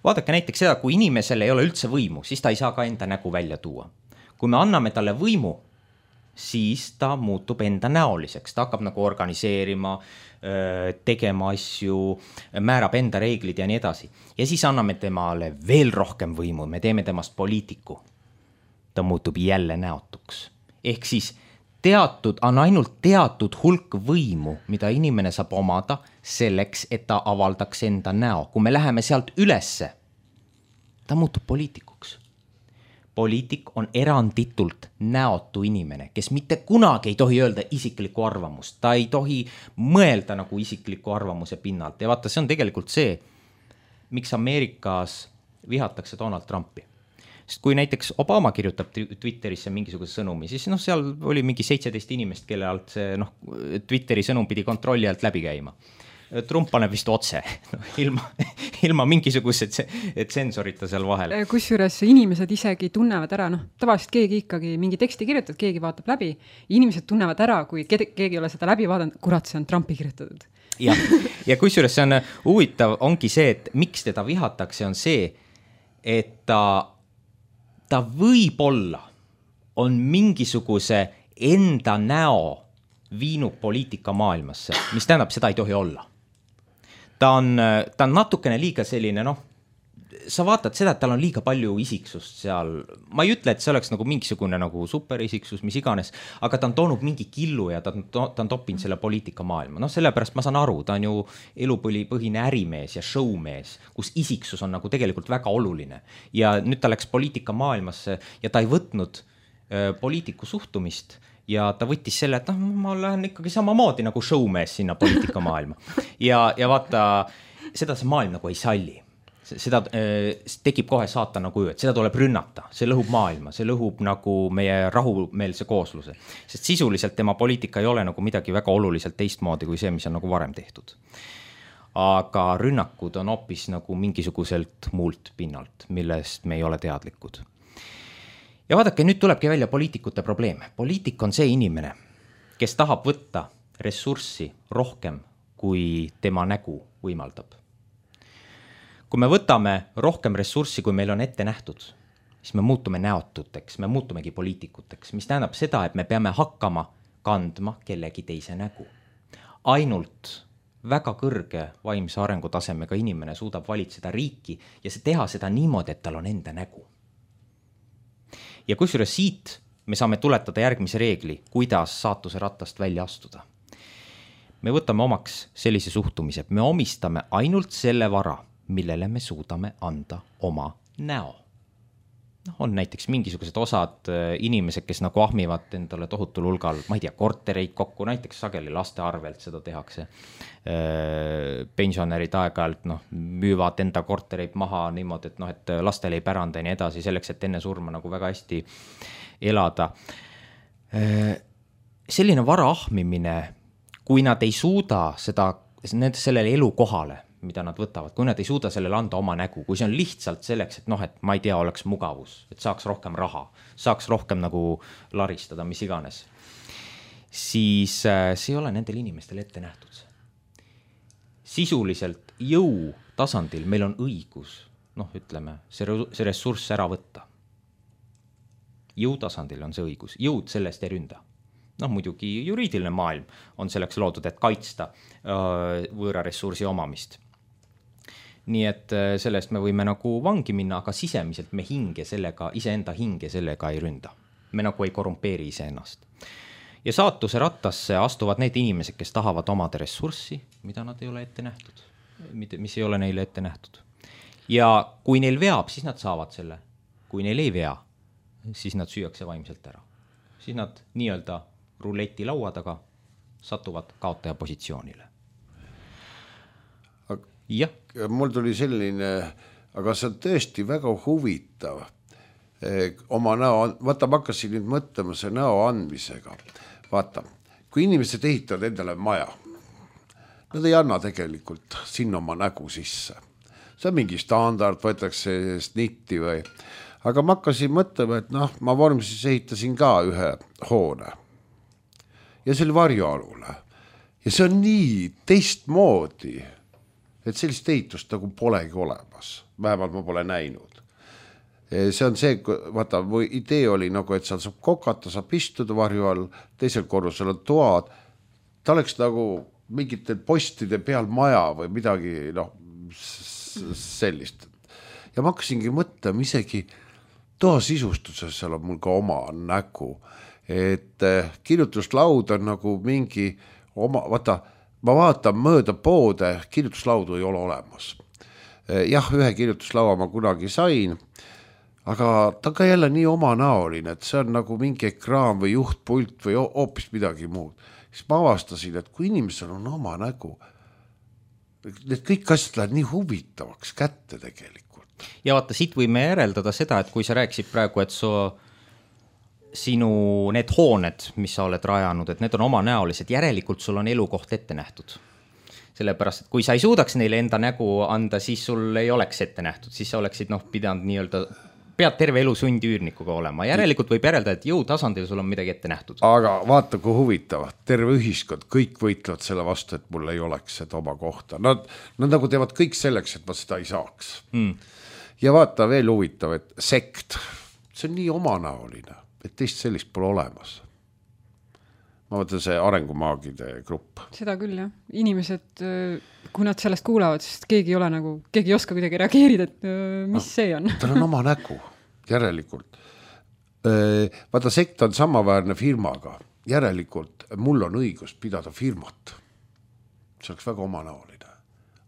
Vaadake näiteks seda, kui inimesel ei ole üldse võimu, siis ta ei saa ka enda nägu välja tuua. Kui me anname talle võimu, siis ta muutub enda näoliseks, ta hakkab nagu organiseerima, tegema asju, määrab enda reeglid ja nii edasi. Ja siis anname temale veel rohkem võimu, me teeme temast poliitiku. Ta muutub jälle näotuks. Ehk siis teatud, on ainult teatud hulk võimu, mida inimene saab omada selleks, et ta avaldaks enda näo. Kui me läheme sealt ülesse, ta muutub poliitikuks. Poliitik on eranditult näotu inimene, kes mitte kunagi ei tohi öelda isiklikku arvamust. Ta ei tohi mõelda nagu isikliku arvamuse pinnalt. Ja vaata, see on tegelikult see, miks Ameerikas vihatakse Donald Trumpi. Sest kui näiteks Obama kirjutab Twitterisse mingisuguse sõnumi, siis noh, seal oli mingi seitseteist inimest, kelle alt see noh, Twitteri sõnum pidi kontrolli alt läbi käima. Trump paneb vist otse, no, ilma, ilma mingisugused tsensorita seal vahel. Kusjuures inimesed isegi tunnevad ära, noh, tavaliselt keegi ikkagi mingi teksti kirjutab, keegi vaatab läbi, inimesed tunnevad ära, kui keegi ei ole seda läbi vaadanud, kurat, see on Trumpi kirjutatud. Ja, ja kusjuures see on huvitav, ongi see, et miks teda vihatakse, on see, et ta, ta võib-olla on mingisuguse enda näo viinud poliitika maailmasse, mis tähendab, seda ei tohi olla. Ta on, ta on natukene liiga selline, noh, sa vaatad seda, et tal on liiga palju isiksust seal. Ma ei ütle, et see oleks nagu mingisugune nagu superisiksus, mis iganes, aga ta on toonud mingi killu ja ta, ta on toppinud selle poliitika maailma. No sellepärast ma saan aru, ta on ju elupõhine ärimees ja showmees, kus isiksus on nagu tegelikult väga oluline. Ja nüüd ta läks poliitika maailmasse ja ta ei võtnud äh, poliitiku suhtumist, ja ta võttis selle, et noh, ma lähen ikkagi samamoodi nagu showmees sinna poliitika maailma. Ja, ja vaata, seda see maailm nagu ei salli. Seda äh, tekib kohe saatana kuju, et seda tuleb rünnata. See lõhub maailma, see lõhub nagu meie rahumeelse koosluse. Sest sisuliselt tema poliitika ei ole nagu midagi väga oluliselt teistmoodi kui see, mis on nagu varem tehtud. Aga rünnakud on hoopis nagu mingisuguselt muult pinnalt, millest me ei ole teadlikud. Ja vaadake, nüüd tulebki välja poliitikute probleem. Poliitik on see inimene, kes tahab võtta ressurssi rohkem, kui tema nägu võimaldab. Kui me võtame rohkem ressurssi, kui meil on ette nähtud, siis me muutume näotuteks, me muutumegi poliitikuteks, mis tähendab seda, et me peame hakkama kandma kellegi teise nägu. Ainult väga kõrge vaimse arengutasemega inimene suudab valitseda riiki ja see teha seda niimoodi, et tal on enda nägu. Ja kusjuures siit me saame tuletada järgmise reegli, kuidas saatuse rattast välja astuda. Me võtame omaks sellise suhtumise, me omistame ainult selle vara, millele me suudame anda oma näo. No, on näiteks mingisugused osad inimesed, kes nagu ahmivad endale tohutul hulgal, ma ei tea, kortereid kokku, näiteks sageli laste arvelt seda tehakse. Pensionärid aeg-ajalt no, müüvad enda kortereid maha niimoodi, et, no, et lastel ei päranda ja nii edasi, selleks, et enne surma nagu väga hästi elada. Selline vara ahmimine, kui nad ei suuda seda, sellele elukohale, mida nad võtavad, kui nad ei suuda sellele anda oma nägu, kui see on lihtsalt selleks, et noh, et ma ei tea, oleks mugavus, et saaks rohkem raha, saaks rohkem nagu laristada, mis iganes, siis see ei ole nendel inimestel ette nähtud. Sisuliselt jõu tasandil meil on õigus, noh, ütleme, see, see ressurss ära võtta. Jõu tasandil on see õigus, jõud sellest ei ründa. Noh, muidugi juriidiline maailm on selleks loodud, et kaitsta võõra ressursi omamist. Nii et sellest me võime nagu vangi minna, aga sisemiselt me hinge sellega, iseenda hinge sellega ei ründa. Me nagu ei korrumpeeri iseennast. Ja saatuse rattasse astuvad need inimesed, kes tahavad omada ressurssi, mida nad ei ole ette nähtud, mis ei ole neile ette nähtud. Ja kui neil veab, siis nad saavad selle. Kui neil ei vea, siis nad süüakse vaimselt ära. Siis nad nii-öelda ruleti laua taga satuvad kaotaja positsioonile. Ja. Mul tuli selline, aga see on tõesti väga huvitav. Oma näo, vaata, ma hakkasin nüüd mõtlema see näo andmisega. Vaata, kui inimesed ehitavad endale maja, nad ei anna tegelikult sinna oma nägu sisse. See on mingi standard, võetakse snitti või. Aga ma hakkasin mõtlema, et noh, ma vormsis ehitasin ka ühe hoone. Ja see oli varjualule. Ja see on nii teistmoodi, et sellist ehitust nagu polegi olemas. Vähemalt ma pole näinud. see on see, vaata, või idee oli nagu, et seal saab kokata, saab istuda varju all, teisel korrusel on toad, ta oleks nagu mingite postide peal maja või midagi, noh, sellist. Ja ma hakkasingi mõtlema isegi toa sisustuses, seal on mul ka oma nägu, et kirjutuslaud on nagu mingi oma, vaata, ma vaatan mööda poode, kirjutuslaudu ei ole olemas. Jah, ühe kirjutuslaua ma kunagi sain, aga ta ka jälle nii omanäoline, et see on nagu mingi ekraan või juhtpult või hoopis midagi muud. Siis ma avastasin, et kui inimesel on oma nägu, need kõik asjad lähevad nii huvitavaks kätte tegelikult. Ja vaata, siit võime järeldada seda, et kui sa rääkisid praegu, et su, sinu need hooned, mis sa oled rajanud, et need on omanäolised, järelikult sul on elukoht ette nähtud. Sellepärast, et kui sa ei suudaks neile enda nägu anda, siis sul ei oleks ette nähtud, siis sa oleksid noh, pidanud nii-öelda pead terve elu sundüürnikuga olema. Järelikult võib järeldada, et jõu tasandil sul on midagi ette nähtud. Aga vaata, kui huvitav. Terve ühiskond, kõik võitlevad selle vastu, et mul ei oleks seda oma kohta. Nad, nad nagu teevad kõik selleks, et ma seda ei saaks. Mm. Ja vaata veel huvitav, et sekt, see on nii omanäoline, et teist sellist pole olemas. Ma mõtlen see arengumaagide grupp. Seda küll, jah. Inimesed, kui nad sellest kuulavad, sest keegi ei ole nagu, keegi ei oska kuidagi reageerida, et mis no, see on. Tal on oma nägu, järelikult. Vaata, sekt on samaväärne firmaga. Järelikult mul on õigus pidada firmat. See oleks väga omanäoline.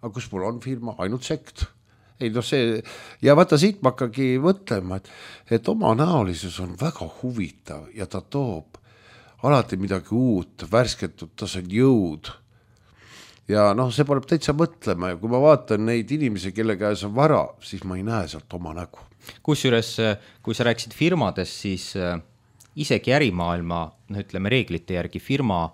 Aga kus mul on firma? Ainult sekt. Ei, no see, ja vaata, siit ma hakkagi mõtlema, et, et omanäolisus on väga huvitav ja ta toob alati midagi uut, värsketud, ta on jõud. Ja noh, see paneb täitsa mõtlema ja kui ma vaatan neid inimesi, kelle käes on vara, siis ma ei näe sealt oma nägu. Kusjuures, kui sa rääkisid firmades, siis isegi ärimaailma, no ütleme reeglite järgi firma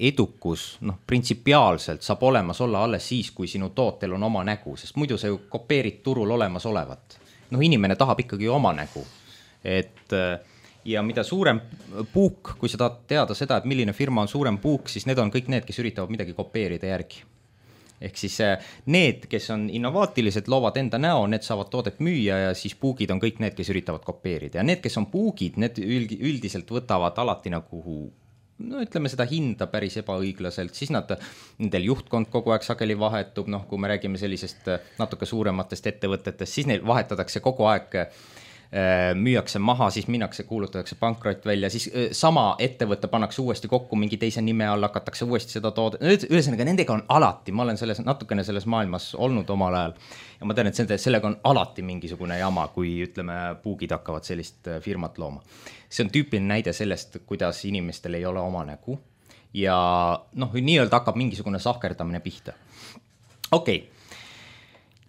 edukus, noh, printsipiaalselt saab olemas olla alles siis, kui sinu tootel on oma nägu, sest muidu sa ju kopeerid turul olemas olevat. Noh, inimene tahab ikkagi oma nägu, et ja mida suurem puuk, kui sa tahad teada seda, et milline firma on suurem puuk, siis need on kõik need, kes üritavad midagi kopeerida järgi. Ehk siis need, kes on innovaatilised, loovad enda näo, need saavad toodet müüa ja siis puugid on kõik need, kes üritavad kopeerida. Ja need, kes on puugid, need üldiselt võtavad alati nagu, no ütleme seda hinda päris ebaõiglaselt, siis nad, nendel juhtkond kogu aeg sageli vahetub, noh, kui me räägime sellisest natuke suurematest ettevõtetest, siis neil vahetatakse kogu aeg müüakse maha, siis minnakse, kuulutatakse pankrot välja, siis sama ettevõtte pannakse uuesti kokku mingi teise nime all, hakatakse uuesti seda toode. Ühesõnaga, nendega on alati, ma olen selles, natukene selles maailmas olnud omal ajal ja ma tean, et sellega on alati mingisugune jama, kui ütleme, puugid hakkavad sellist firmat looma. See on tüüpiline näide sellest, kuidas inimestel ei ole oma nägu ja noh, nii-öelda hakkab mingisugune sahkerdamine pihta. Okei, okay.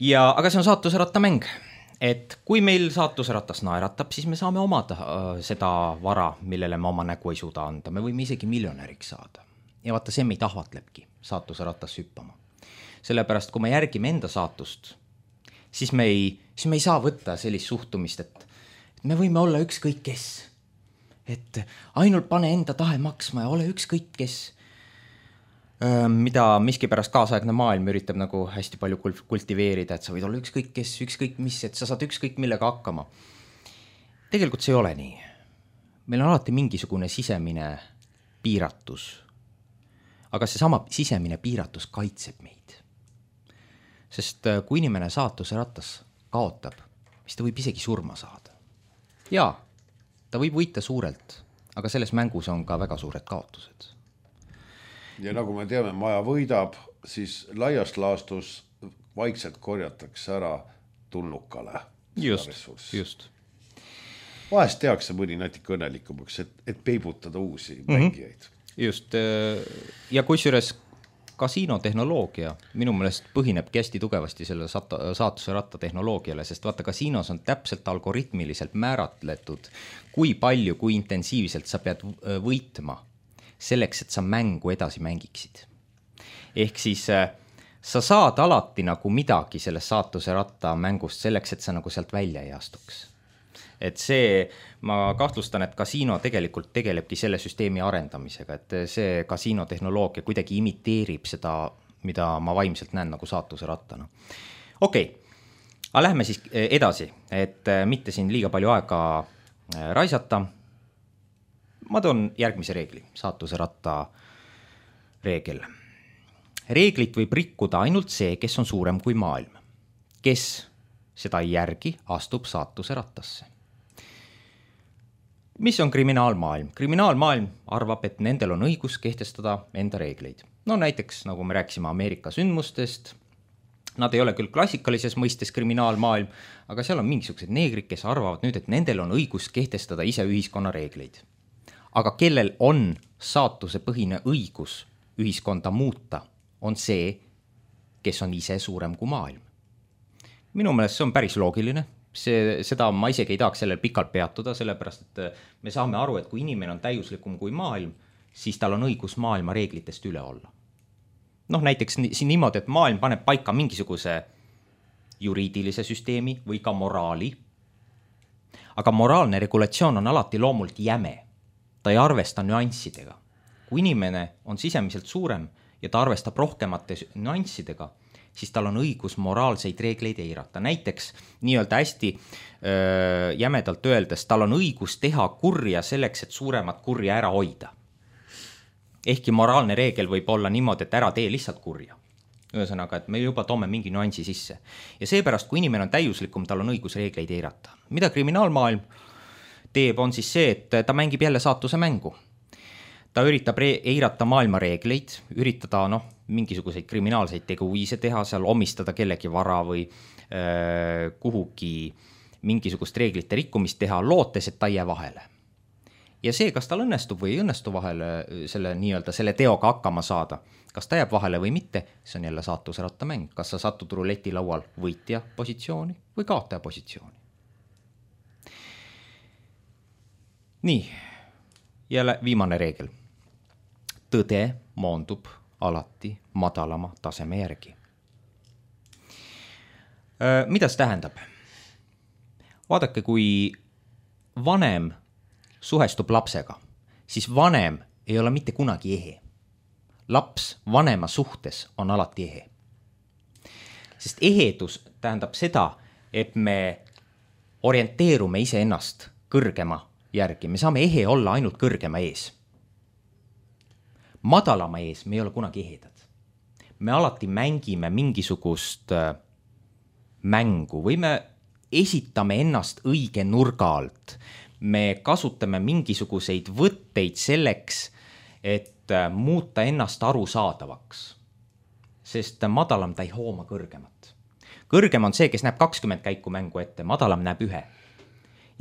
Ja aga see on saatuse rattamäng. Et kui meil saatuse ratas naeratab, siis me saame omada äh, seda vara, millele me oma nägu ei suuda anda. Me võime isegi miljonäriks saada. Ja vaata, see meid ahvatlebki saatuse ratas hüppama. Sellepärast, kui me järgime enda saatust, siis me ei, siis me ei saa võtta sellist suhtumist, et, et me võime olla ükskõik kes. Et ainult pane enda tahe maksma ja ole ükskõik kes. Mida miskipärast kaasaegne maailm üritab nagu hästi palju kultiveerida, et sa võid olla ükskõik kes, ükskõik mis, et sa saad ükskõik millega hakkama. Tegelikult see ei ole nii. Meil on alati mingisugune sisemine piiratus. Aga see sama sisemine piiratus kaitseb meid. Sest kui inimene saatuse ratas kaotab, siis ta võib isegi surma saada. Jaa, ta võib võita suurelt, aga selles mängus on ka väga suured kaotused. Ja nagu me teame, maja võidab, siis laias laastus vaikselt korjatakse ära tulnukale. Just, just. Vahest tehakse mõni natuke õnnelikumaks, et, et peibutada uusi mm-hmm. mängijaid. Just, ja kusjuures kasiinotehnoloogia minu meelest põhinebki hästi tugevasti selle saatuse ratta tehnoloogiale, sest vaata, kasiinos on täpselt algoritmiliselt määratletud, kui palju, kui intensiivselt sa pead võitma selleks, et sa mängu edasi mängiksid. Ehk siis sa saad alati nagu midagi selles saatuse ratta mängust selleks, et sa nagu sealt välja ei astuks. Et see, ma kahtlustan, et kasiino tegelikult tegelebki selle süsteemi arendamisega, et see kasiinotehnoloogia kuidagi imiteerib seda, mida ma vaimselt näen nagu saatuse rattana. Okei, aga lähme siis edasi, et mitte siin liiga palju aega raisata. Ma toon järgmise reegli, saatuse ratta reegel. Reeglit võib rikkuda ainult see, kes on suurem kui maailm. Kes seda ei järgi, astub saatuse rattasse. Mis on kriminaalmaailm? Kriminaalmaailm arvab, et nendel on õigus kehtestada enda reegleid. No näiteks, nagu me rääkisime Ameerika sündmustest, nad ei ole küll klassikalises mõistes kriminaalmaailm, aga seal on mingisugused neegrid, kes arvavad nüüd, et nendel on õigus kehtestada ise ühiskonna reegleid. Aga kellel on saatusepõhine õigus ühiskonda muuta, on see, kes on ise suurem kui maailm. Minu meelest see on päris loogiline. See, seda ma isegi ei tahaks sellel pikalt peatuda, sellepärast et me saame aru, et kui inimene on täiuslikum kui maailm, siis tal on õigus maailma reeglitest üle olla. Noh, näiteks siin niimoodi, et maailm paneb paika mingisuguse juriidilise süsteemi või ka moraali. Aga moraalne regulatsioon on alati loomult jäme. Ta ei arvesta nüanssidega. Kui inimene on sisemiselt suurem ja ta arvestab rohkemate nüanssidega, siis tal on õigus moraalseid reegleid eirata. Näiteks nii-öelda hästi öö, jämedalt öeldes, tal on õigus teha kurja selleks, et suuremat kurja ära hoida. Ehkki moraalne reegel võib olla niimoodi, et ära tee lihtsalt kurja. Ühesõnaga, et me juba toome mingi nüansi sisse. Ja seepärast, kui inimene on täiuslikum, tal on õigus reegleid eirata. Mida kriminaalmaailm teeb, on siis see, et ta mängib jälle saatuse mängu. Ta üritab eirata maailma reegleid, üritada noh, mingisuguseid kriminaalseid teguviise teha, seal omistada kellegi vara või öö, kuhugi mingisugust reeglite rikkumist teha, lootes, et ta ei jää vahele. Ja see, kas tal õnnestub või ei õnnestu vahele selle, nii-öelda, selle teoga hakkama saada, kas ta jääb vahele või mitte, see on jälle saatuse rattamäng. Kas sa satud ruleti laual võitja positsiooni või kaotaja positsiooni. Nii, jälle viimane reegel. Tõde moondub alati madalama taseme järgi. Mida see tähendab? Vaadake, kui vanem suhestub lapsega, siis vanem ei ole mitte kunagi ehe. Laps vanema suhtes on alati ehe. Sest ehedus tähendab seda, et me orienteerume iseennast kõrgema järgi. Me saame ehe olla ainult kõrgema ees. Madalama ees me ei ole kunagi ehedad. Me alati mängime mingisugust mängu või me esitame ennast õige nurga alt. Me kasutame mingisuguseid võtteid selleks, et muuta ennast arusaadavaks. Sest madalam ta ei hooma kõrgemat. Kõrgem on see, kes näeb kakskümmend käiku mängu ette, madalam näeb ühe.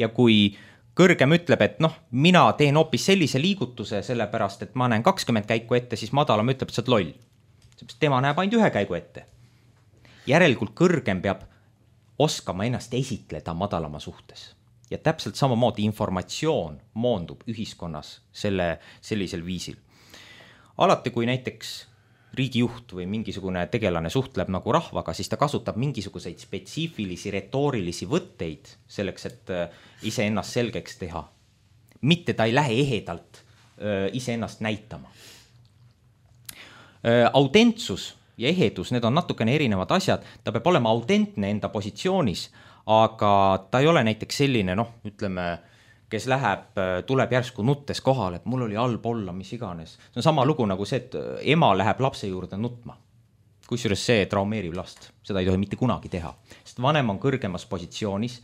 Ja kui kõrgem ütleb, et noh, mina teen hoopis sellise liigutuse, sellepärast, et ma näen kakskümmend käiku ette, siis madalam ütleb, et sa oled loll. Tema näeb ainult ühe käigu ette. Järelikult kõrgem peab oskama ennast esitleda madalama suhtes. Ja täpselt samamoodi informatsioon moondub ühiskonnas selle, sellisel viisil. Alati, kui näiteks riigijuht või mingisugune tegelane suhtleb nagu rahvaga, siis ta kasutab mingisuguseid spetsiifilisi retoorilisi võtteid selleks, et ise ennast selgeks teha. Mitte ta ei lähe ehedalt ise ennast näitama. Autentsus ja ehedus, need on natukene erinevad asjad. Ta peab olema autentne enda positsioonis, aga ta ei ole näiteks selline, noh, ütleme, kes läheb, tuleb järsku nuttes kohale, et mul oli halb olla, mis iganes. See on sama lugu nagu see, et ema läheb lapse juurde nutma. Kusjuures see traumeerib last. Seda ei tohi mitte kunagi teha. Sest vanem on kõrgemas positsioonis.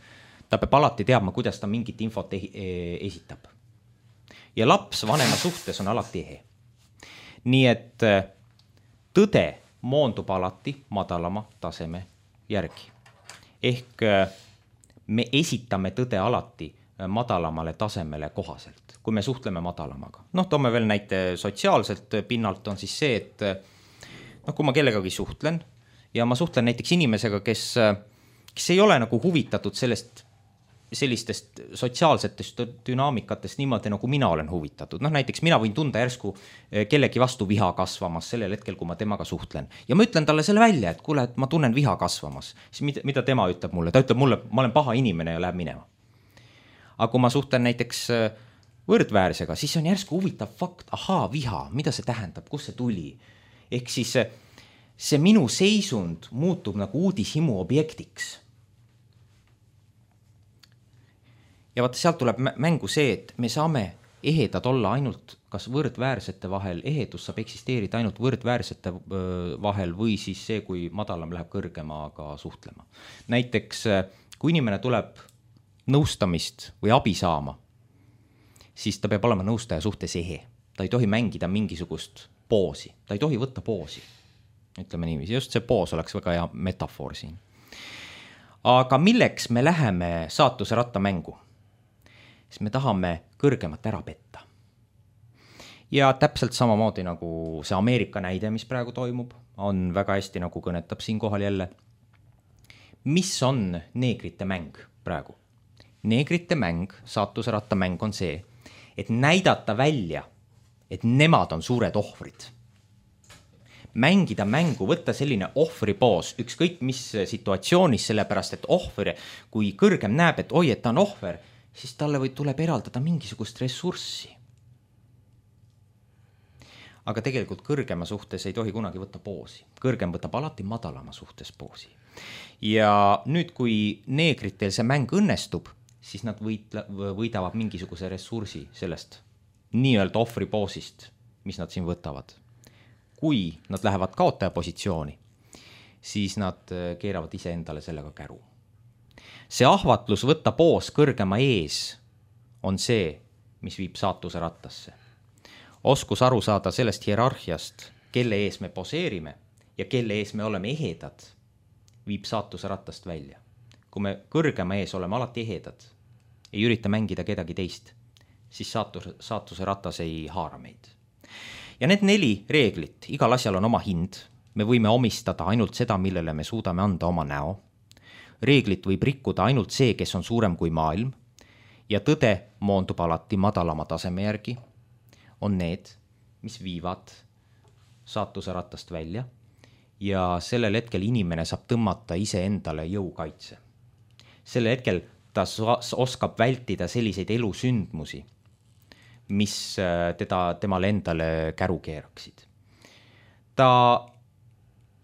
Ta peab alati teadma, kuidas ta mingit infot esitab. Ja laps vanema suhtes on alati ehe. Nii et tõde moondub alati madalama taseme järgi. Ehk me esitame tõde alati madalamale tasemele kohaselt, kui me suhtleme madalamaga. Noh, toome veel näite sotsiaalselt pinnalt on siis see, et noh, kui ma kellegagi suhtlen ja ma suhtlen näiteks inimesega, kes, kes ei ole nagu huvitatud sellest, sellistest sotsiaalsetest dünaamikatest niimoodi, nagu mina olen huvitatud. Noh, näiteks mina võin tunda järsku kellegi vastu viha kasvamas sellel hetkel, kui ma temaga suhtlen. Ja ma ütlen talle selle välja, et kuule, et ma tunnen viha kasvamas. Siis mida, mida tema ütleb mulle? Ta ütleb mulle, ma olen paha inimene ja läheb minema. Aga kui ma suhtlen näiteks võrdväärsega, siis on järsku huvitav fakt, ahaa, viha, mida see tähendab, kus see tuli? Ehk siis see minu seisund muutub nagu uudishimu objektiks. ja vaata, sealt tuleb mängu see, et me saame ehedad olla ainult kas võrdväärsete vahel, ehedus saab eksisteerida ainult võrdväärsete vahel või siis see, kui madalam läheb kõrgemaga suhtlema. Näiteks, kui inimene tuleb nõustamist või abi saama, siis ta peab olema nõustaja suhtes ehe. Ta ei tohi mängida mingisugust poosi, ta ei tohi võtta poosi. Ütleme niiviisi, just see poos oleks väga hea metafoor siin. Aga milleks me läheme saatuse rattamängu? Siis me tahame kõrgemat ära petta. Ja täpselt samamoodi nagu see Ameerika näide, mis praegu toimub, on väga hästi nagu kõnetab siin kohal jälle. Mis on neegrite mäng praegu? Neegrite mäng, saatuse rattamäng on see, et näidata välja, et nemad on suured ohvrid. Mängida mängu, võtta selline ohvripoos, ükskõik mis situatsioonis, sellepärast, et ohver, kui kõrgem näeb, et oi, et ta on ohver, siis talle või tuleb eraldada mingisugust ressurssi. Aga tegelikult kõrgema suhtes ei tohi kunagi võtta poosi. Kõrgem võtab alati madalama suhtes poosi. Ja nüüd, kui neegritel see mäng õnnestub, siis nad võitla, võidavad mingisuguse ressursi sellest nii-öelda ohvripoosist, mis nad siin võtavad. Kui nad lähevad kaotaja positsiooni, siis nad keeravad ise endale sellega käru. See ahvatlus võtta poos kõrgema ees on see, mis viib saatuse rattasse. Oskus aru saada sellest hierarhiast, kelle ees me poseerime ja kelle ees me oleme ehedad, viib saatuse rattast välja. Kui me kõrgema ees oleme alati ehedad, ei ürita mängida kedagi teist, siis saatus, saatuse ratas ei haara meid. Ja need neli reeglit, igal asjal on oma hind, me võime omistada ainult seda, millele me suudame anda oma näo. Reeglit võib rikkuda ainult see, kes on suurem kui maailm ja tõde moondub alati madalama taseme järgi, on need, mis viivad saatuse rattast välja ja sellel hetkel inimene saab tõmmata ise endale jõukaitse. Sellel hetkel ta oskab vältida selliseid elusündmusi, mis teda temale endale käru keeraksid. Ta,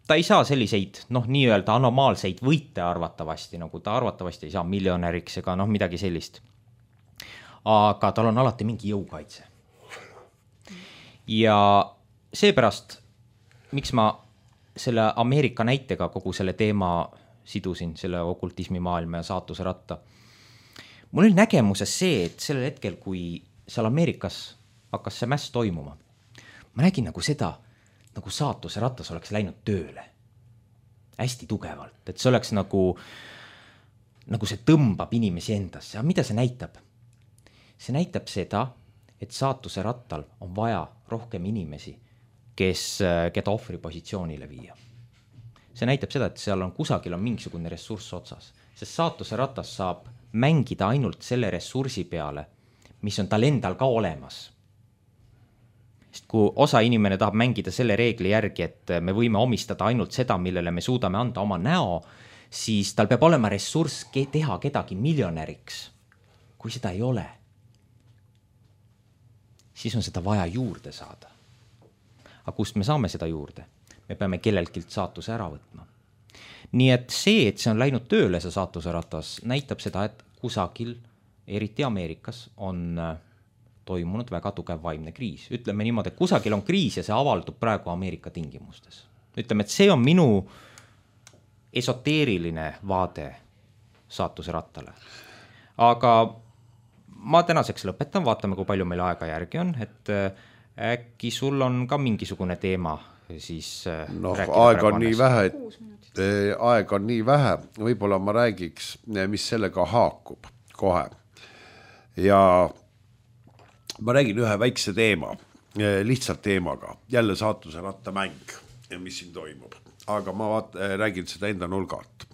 ta ei saa selliseid, noh, nii-öelda anomaalseid võite arvatavasti, nagu ta arvatavasti ei saa miljonäriks ega noh, midagi sellist. Aga tal on alati mingi jõukaitse. Ja seepärast, miks ma selle Ameerika näitega kogu selle teema sidusin, selle okultismi maailma ja saatuse ratta, mul oli nägemuses see, et sellel hetkel, kui seal Ameerikas hakkas see mäss toimuma, ma nägin nagu seda, nagu saatuse ratas oleks läinud tööle. Hästi tugevalt, et see oleks nagu, nagu see tõmbab inimesi endasse. Aga mida see näitab? See näitab seda, et saatuse rattal on vaja rohkem inimesi, kes, keda ohvri positsioonile viia. See näitab seda, et seal on kusagil on mingisugune ressurss otsas, sest saatuse ratas saab mängida ainult selle ressursi peale, mis on tal endal ka olemas. Sest kui osa inimene tahab mängida selle reegli järgi, et me võime omistada ainult seda, millele me suudame anda oma näo, siis tal peab olema ressurss teha kedagi miljonäriks. Kui seda ei ole, siis on seda vaja juurde saada. Aga kust me saame seda juurde? Me peame kelleltkilt saatuse ära võtma. Nii et see, et see on läinud tööle, see saatuse ratas, näitab seda, et kusagil, eriti Ameerikas, on toimunud väga tugev vaimne kriis. Ütleme niimoodi, et kusagil on kriis ja see avaldub praegu Ameerika tingimustes. Ütleme, et see on minu esoteeriline vaade saatuse rattale. Aga ma tänaseks lõpetan, vaatame, kui palju meil aega järgi on, et äkki sul on ka mingisugune teema siis noh, aeg on nii vähe, et aeg on nii vähe, võib-olla ma räägiks, mis sellega haakub kohe. Ja ma räägin ühe väikse teema, lihtsalt teemaga, jälle saatuse rattamäng, mis siin toimub, aga ma vaat, räägin seda enda nulgalt.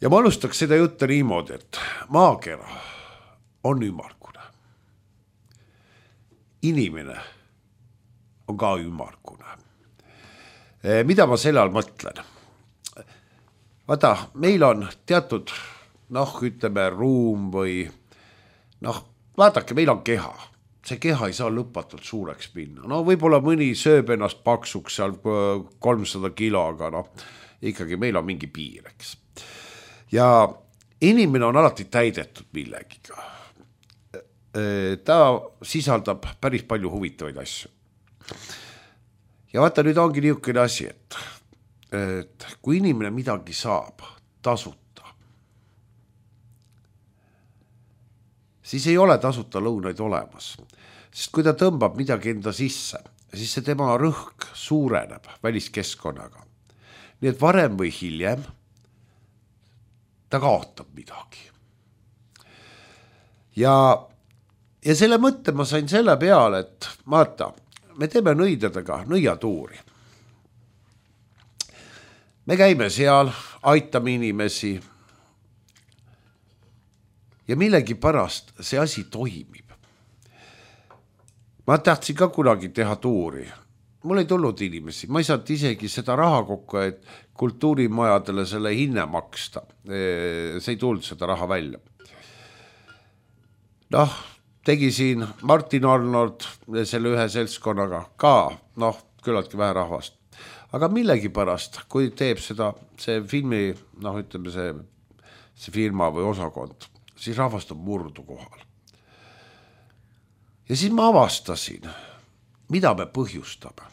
Ja ma alustaks seda juttu niimoodi, et maakera on ümmargune. Inimene on ka ümmargune. Mida ma selle all mõtlen? Vaata, meil on teatud, noh, ütleme, ruum või, noh, vaadake, meil on keha. See keha ei saa lõpatult suureks minna. No võib-olla mõni sööb ennast paksuks seal kolmsada kilo, aga noh, ikkagi meil on mingi piir, eks. Ja inimene on alati täidetud millegiga. Ta sisaldab päris palju huvitavaid asju. Ja vaata, nüüd ongi niisugune asi, et, et kui inimene midagi saab tasuta, siis ei ole tasuta lõunaid olemas. Sest kui ta tõmbab midagi enda sisse, siis see tema rõhk suureneb väliskeskkonnaga. Nii et varem või hiljem ta kaotab midagi. Ja, ja selle mõtte ma sain selle peale, et vaata, me teeme nõidadega nõiatuuri. Me käime seal, aitame inimesi ja millegi pärast see asi toimib. Ma tahtsin ka kunagi teha tuuri. Mul ei tulnud inimesi. Ma ei saanud isegi seda raha kokku, et kultuurimajadele selle hinne maksta. See ei tulnud seda raha välja. Noh, tegi siin Martin Arnold selle ühe seltskonnaga ka, noh, küllaltki vähe rahvast. Aga millegi pärast, kui teeb seda, see filmi, noh, ütleme see, see firma või osakond, siis rahvast on murdu kohal. Ja siis ma avastasin, mida me põhjustame.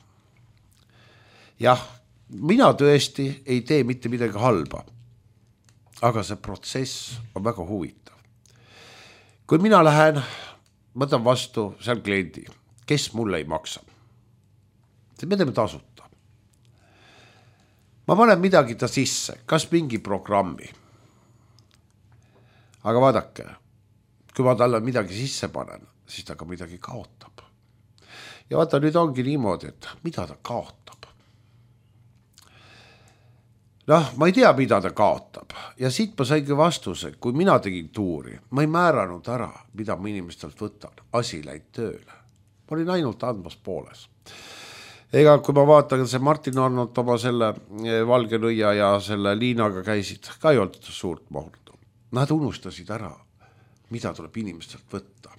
Jah, mina tõesti ei tee mitte midagi halba, aga see protsess on väga huvitav. Kui mina lähen, võtan vastu seal kliendi, kes mulle ei maksa. Me teeme tasuta. Ma panen midagi ta sisse, kas mingi programmi. Aga vaadake, kui ma talle midagi sisse panen, siis ta ka midagi kaotab. Ja vaata, nüüd ongi niimoodi, et mida ta kaotab. Noh, ma ei tea, mida ta kaotab. Ja siit ma saingi vastuse, kui mina tegin tuuri, ma ei määranud ära, mida ma inimestelt võtan. Asi läid tööle. Ma olin ainult andmas pooles. Ega kui ma vaatan, see Martin Arnold oma selle valge nõia ja selle liinaga käisid, ka ei olnud suurt mahurdu. Nad unustasid ära, mida tuleb inimestelt võtta.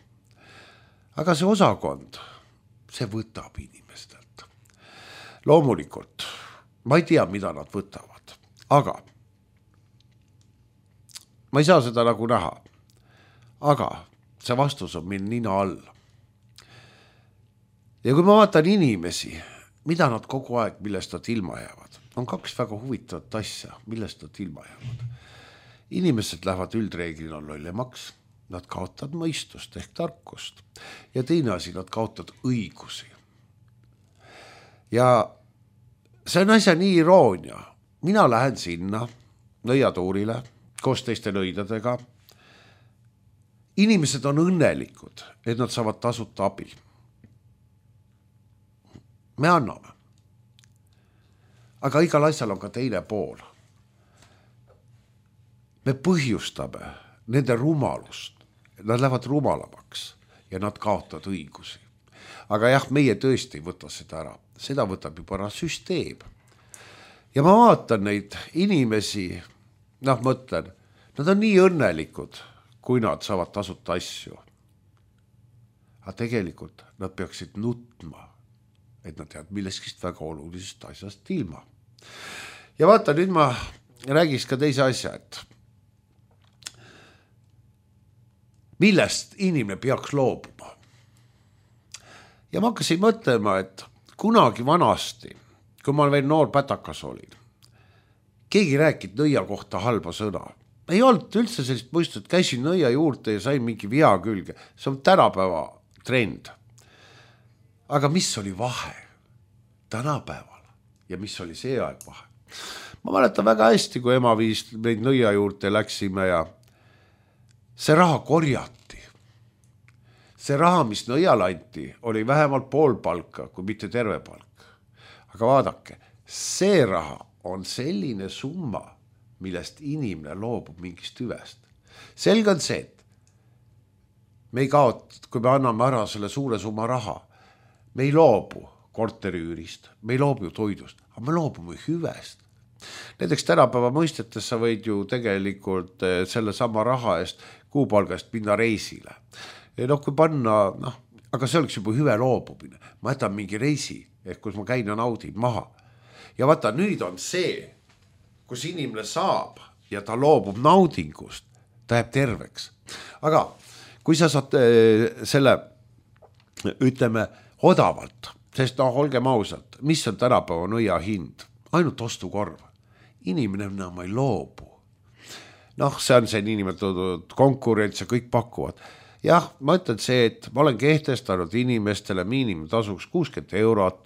Aga see osakond, see võtab inimestelt. Loomulikult, ma ei tea, mida nad võtavad, aga ma ei saa seda nagu näha. Aga see vastus on meil nina all. Ja kui ma vaatan inimesi, mida nad kogu aeg, millest nad ilma jäävad, on kaks väga huvitavat asja, millest nad ilma jäävad. Inimesed lähevad üldreeglina lollemaks. Nad kaotavad mõistust ehk tarkust. Ja teine asi, nad kaotavad õigusi. Ja see on asja nii iroonia. Mina lähen sinna nõiatuurile koos teiste nõidadega. Inimesed on õnnelikud, et nad saavad tasuta abi. Me anname. Aga igal asjal on ka teine pool. Me põhjustame nende rumalust. Nad lähevad rumalamaks ja nad kaotavad õigusi. Aga jah, meie tõesti ei võta seda ära. Seda võtab juba ära süsteem. Ja ma vaatan neid inimesi, noh mõtlen, nad on nii õnnelikud, kui nad saavad tasuta asju. Aga tegelikult nad peaksid nutma, et nad teavad milleskist väga olulisest asjast ilma. Ja vaata, nüüd ma räägiks ka teise asja, et millest inimene peaks loobuma. Ja ma hakkasin mõtlema, et kunagi vanasti, kui ma veel noor pätakas olin, keegi rääkid nõia kohta halba sõna. Ei olnud üldse sellist mõistut, et käisin nõia juurde ja sain mingi via külge. See on tänapäeva trend. Aga mis oli vahe tänapäeval ja mis oli see aeg vahe? Ma mäletan väga hästi, kui ema viis meid nõia juurde läksime ja see raha korjati. See raha, mis nõial anti, oli vähemalt pool palka, kui mitte terve palk. Aga vaadake, see raha on selline summa, millest inimene loobub mingist hüvest. Selge on see, et me ei kaot, kui me anname ära selle suure summa raha, me ei loobu korteriüürist, me ei loobu toidust, aga me loobume hüvest. Näiteks tänapäeva mõistetes sa võid ju tegelikult selle sama raha eest kuupalgast minna reisile. Ja noh, kui panna, noh, aga see oleks juba hüve loobumine. Ma jätan mingi reisi, ehk kus ma käin ja naudin maha. Ja vaata, nüüd on see, kus inimene saab ja ta loobub naudingust, ta jääb terveks. Aga kui sa saad selle, ütleme, odavalt, sest noh, olgem ausalt, mis on tänapäeva nõia hind? Ainult ostukorv. Inimene enam ei loobu. Noh, see on see niinimetatud konkurents ja kõik pakuvad. Jah, ma ütlen see, et ma olen kehtestanud inimestele miinimumtasuks kuuskümmend eurot.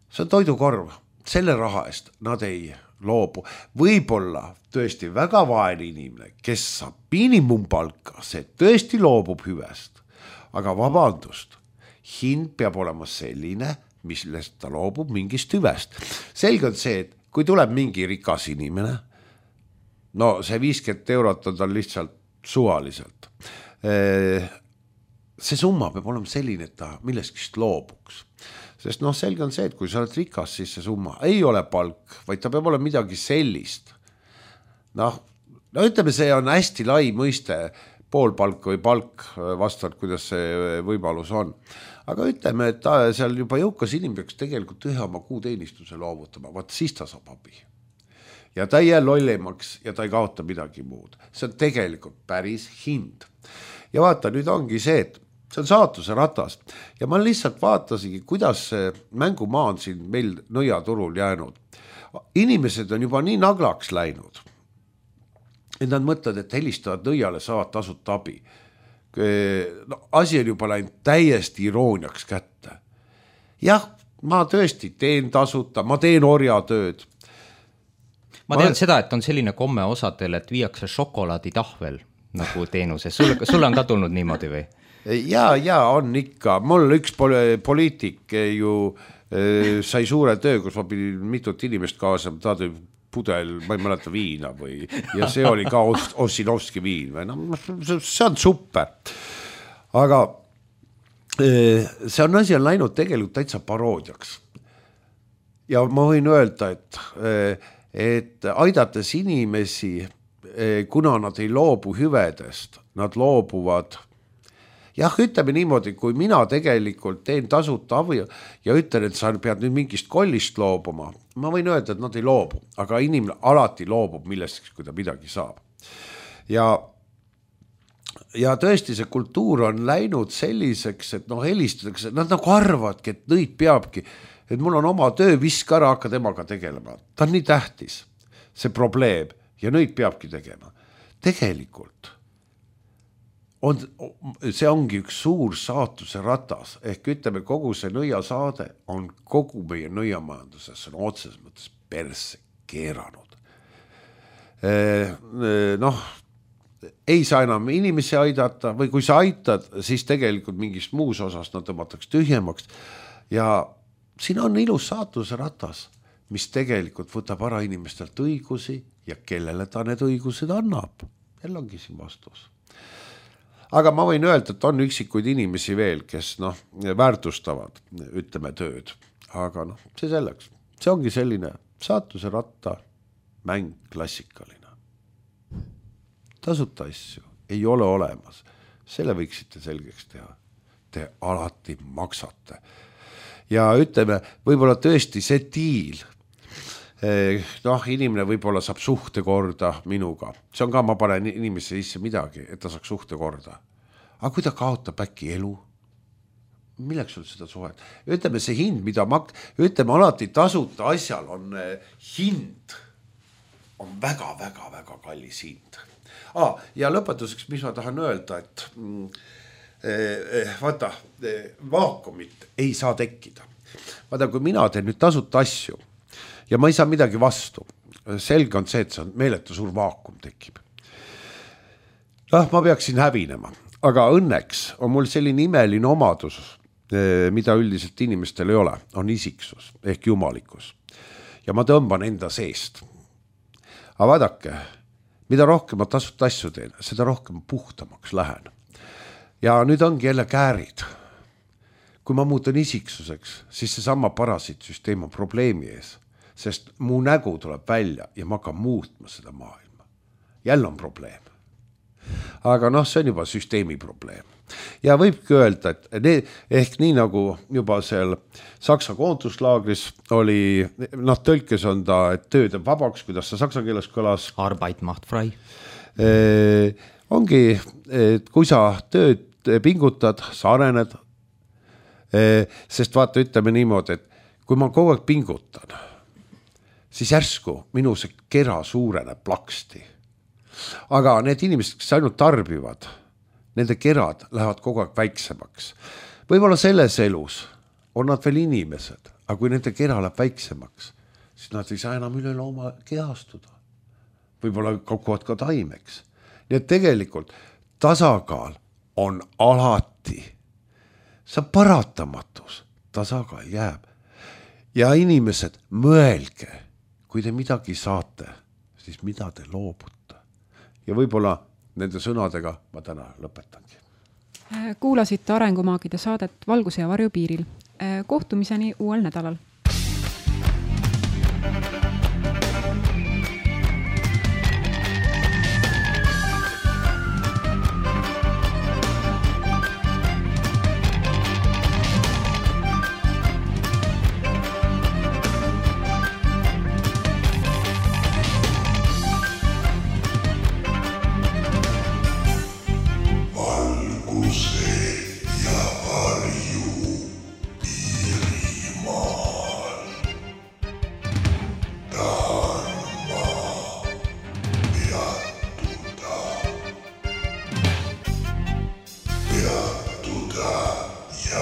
See on toidukorv. Selle raha eest nad ei loobu. Võib-olla tõesti väga vaene inimene, kes saab miinimumpalka, see tõesti loobub hüvest. Aga vabandust, hind peab olema selline, millest ta loobub mingist hüvest. Selge on see, et kui tuleb mingi rikas inimene, no see viiskümmend eurot on tal lihtsalt suvaliselt. See summa peab olema selline, et ta milleskist loobuks. Sest noh, selge on see, et kui sa oled rikas, siis see summa ei ole palk, vaid ta peab olema midagi sellist. Noh, no ütleme, see on hästi lai mõiste, poolpalk või palk vastavalt, kuidas see võimalus on. Aga ütleme, et ta, seal juba jõukas inimene peaks tegelikult ühe oma kuuteenistuse loovutama, vaat siis ta saab abi. Ja ta ei jää lollimaks ja ta ei kaota midagi muud. See on tegelikult päris hind. Ja vaata, nüüd ongi see, et see on saatuse ratas ja ma lihtsalt vaatasingi, kuidas see mängumaa on siin meil nõiaturul jäänud. Inimesed on juba nii naglaks läinud, et nad mõtlevad, et helistavad nõiale, saavad tasut abi. No, asi on juba läinud täiesti irooniaks kätte. Jah, ma tõesti teen tasuta, ma teen orjatööd. Ma tean ma... seda, et on selline komme osadel, et viiakse šokolaaditahvel nagu teenuse. Sul, sul on ka tulnud niimoodi või? Ja, ja on ikka. Mul üks poliitik ju äh, sai suure töö, kus ma pidin mitut inimest kaasa, ta tõi pudel, ma ei mäleta viina või, ja see oli ka Ossinovski viin või, no see on super. Aga äh, see on asi on läinud tegelikult täitsa paroodiaks. Ja ma võin öelda, et, äh, et aidates inimesi, äh, kuna nad ei loobu hüvedest, nad loobuvad. Jah, ütleme niimoodi, kui mina tegelikult teen tasuta avi ja ütlen, et sa pead nüüd mingist kollist loobuma, ma võin öelda, et nad ei loobu, aga inimene alati loobub millestki, kui ta midagi saab. Ja, ja tõesti see kultuur on läinud selliseks, et noh, helistatakse, nad nagu arvadki, et nõid peabki, et mul on oma töö, viska ära, hakka temaga tegelema. Ta on nii tähtis, see probleem, ja nõid peabki tegema. Tegelikult on, see ongi üks suur saatuse ratas, ehk ütleme, kogu see nõiasaade on kogu meie nõiamajanduses, see on otseses mõttes perse keeranud. Noh, ei saa enam inimesi aidata või kui sa aitad, siis tegelikult mingist muus osas nad tõmmataks tühjemaks ja siin on ilus saatuse ratas, mis tegelikult võtab ära inimestelt õigusi ja kellele ta need õigused annab. Jälle ongi siin vastus. Aga ma võin öelda, et on üksikuid inimesi veel, kes noh, väärtustavad, ütleme, tööd. Aga noh, see selleks. See ongi selline saatuse ratta mäng klassikaline. Tasuta asju ei ole olemas. Selle võiksite selgeks teha. Te alati maksate. Ja ütleme, võib-olla tõesti see diil, noh, inimene võib-olla saab suhte korda minuga. See on ka, ma panen inimesse sisse midagi, et ta saaks suhte korda. Aga kui ta kaotab äkki elu, milleks sul seda suhet? Ütleme, see hind, mida mak-, ütleme, alati tasuta asjal on hind, on väga-väga-väga kallis hind. Ah, ja lõpetuseks, mis ma tahan öelda, et mm, vaata, vaakumit ei saa tekkida. Vaata, kui mina teen nüüd tasuta asju, ja ma ei saa midagi vastu. Selge on see, et see on meeletu suur vaakum tekib. Noh, ma peaksin hävinema, aga õnneks on mul selline imeline omadus, mida üldiselt inimestel ei ole, on isiksus ehk jumalikkus. Ja ma tõmban enda seest. Aga vaadake, mida rohkem ma tasuta asju teen, seda rohkem puhtamaks lähen. Ja nüüd ongi jälle käärid. Kui ma muutan isiksuseks, siis see sama parasiitsüsteem on probleemi ees. Sest mu nägu tuleb välja ja ma hakkan muutma seda maailma. Jälle on probleem. Aga noh, see on juba süsteemi probleem. Ja võibki öelda, et need, ehk nii nagu juba seal Saksa koonduslaagris oli, noh, tõlkes on ta, et töö teeb vabaks, kuidas see saksa keeles kõlas. Arbeit macht frei. ongi, et kui sa tööd pingutad, sa arened, sest vaata, ütleme niimoodi, et kui ma kogu aeg pingutan, siis järsku minu see kera suureneb plaksti. Aga need inimesed, kes ainult tarbivad, nende kerad lähevad kogu aeg väiksemaks. Võib-olla selles elus on nad veel inimesed, aga kui nende kera läheb väiksemaks, siis nad ei saa enam üle looma kehastuda. Võib-olla koguvad ka taimeks. Nii et tegelikult tasakaal on alati, see on paratamatus, tasakaal jääb. Ja inimesed, mõelge, kui te midagi saate, siis mida te loobute. Ja võib-olla nende sõnadega ma täna lõpetangi. Kuulasite Arengumaagide saadet Valguse ja varju piiril. Kohtumiseni uuel nädalal. Peattuda ja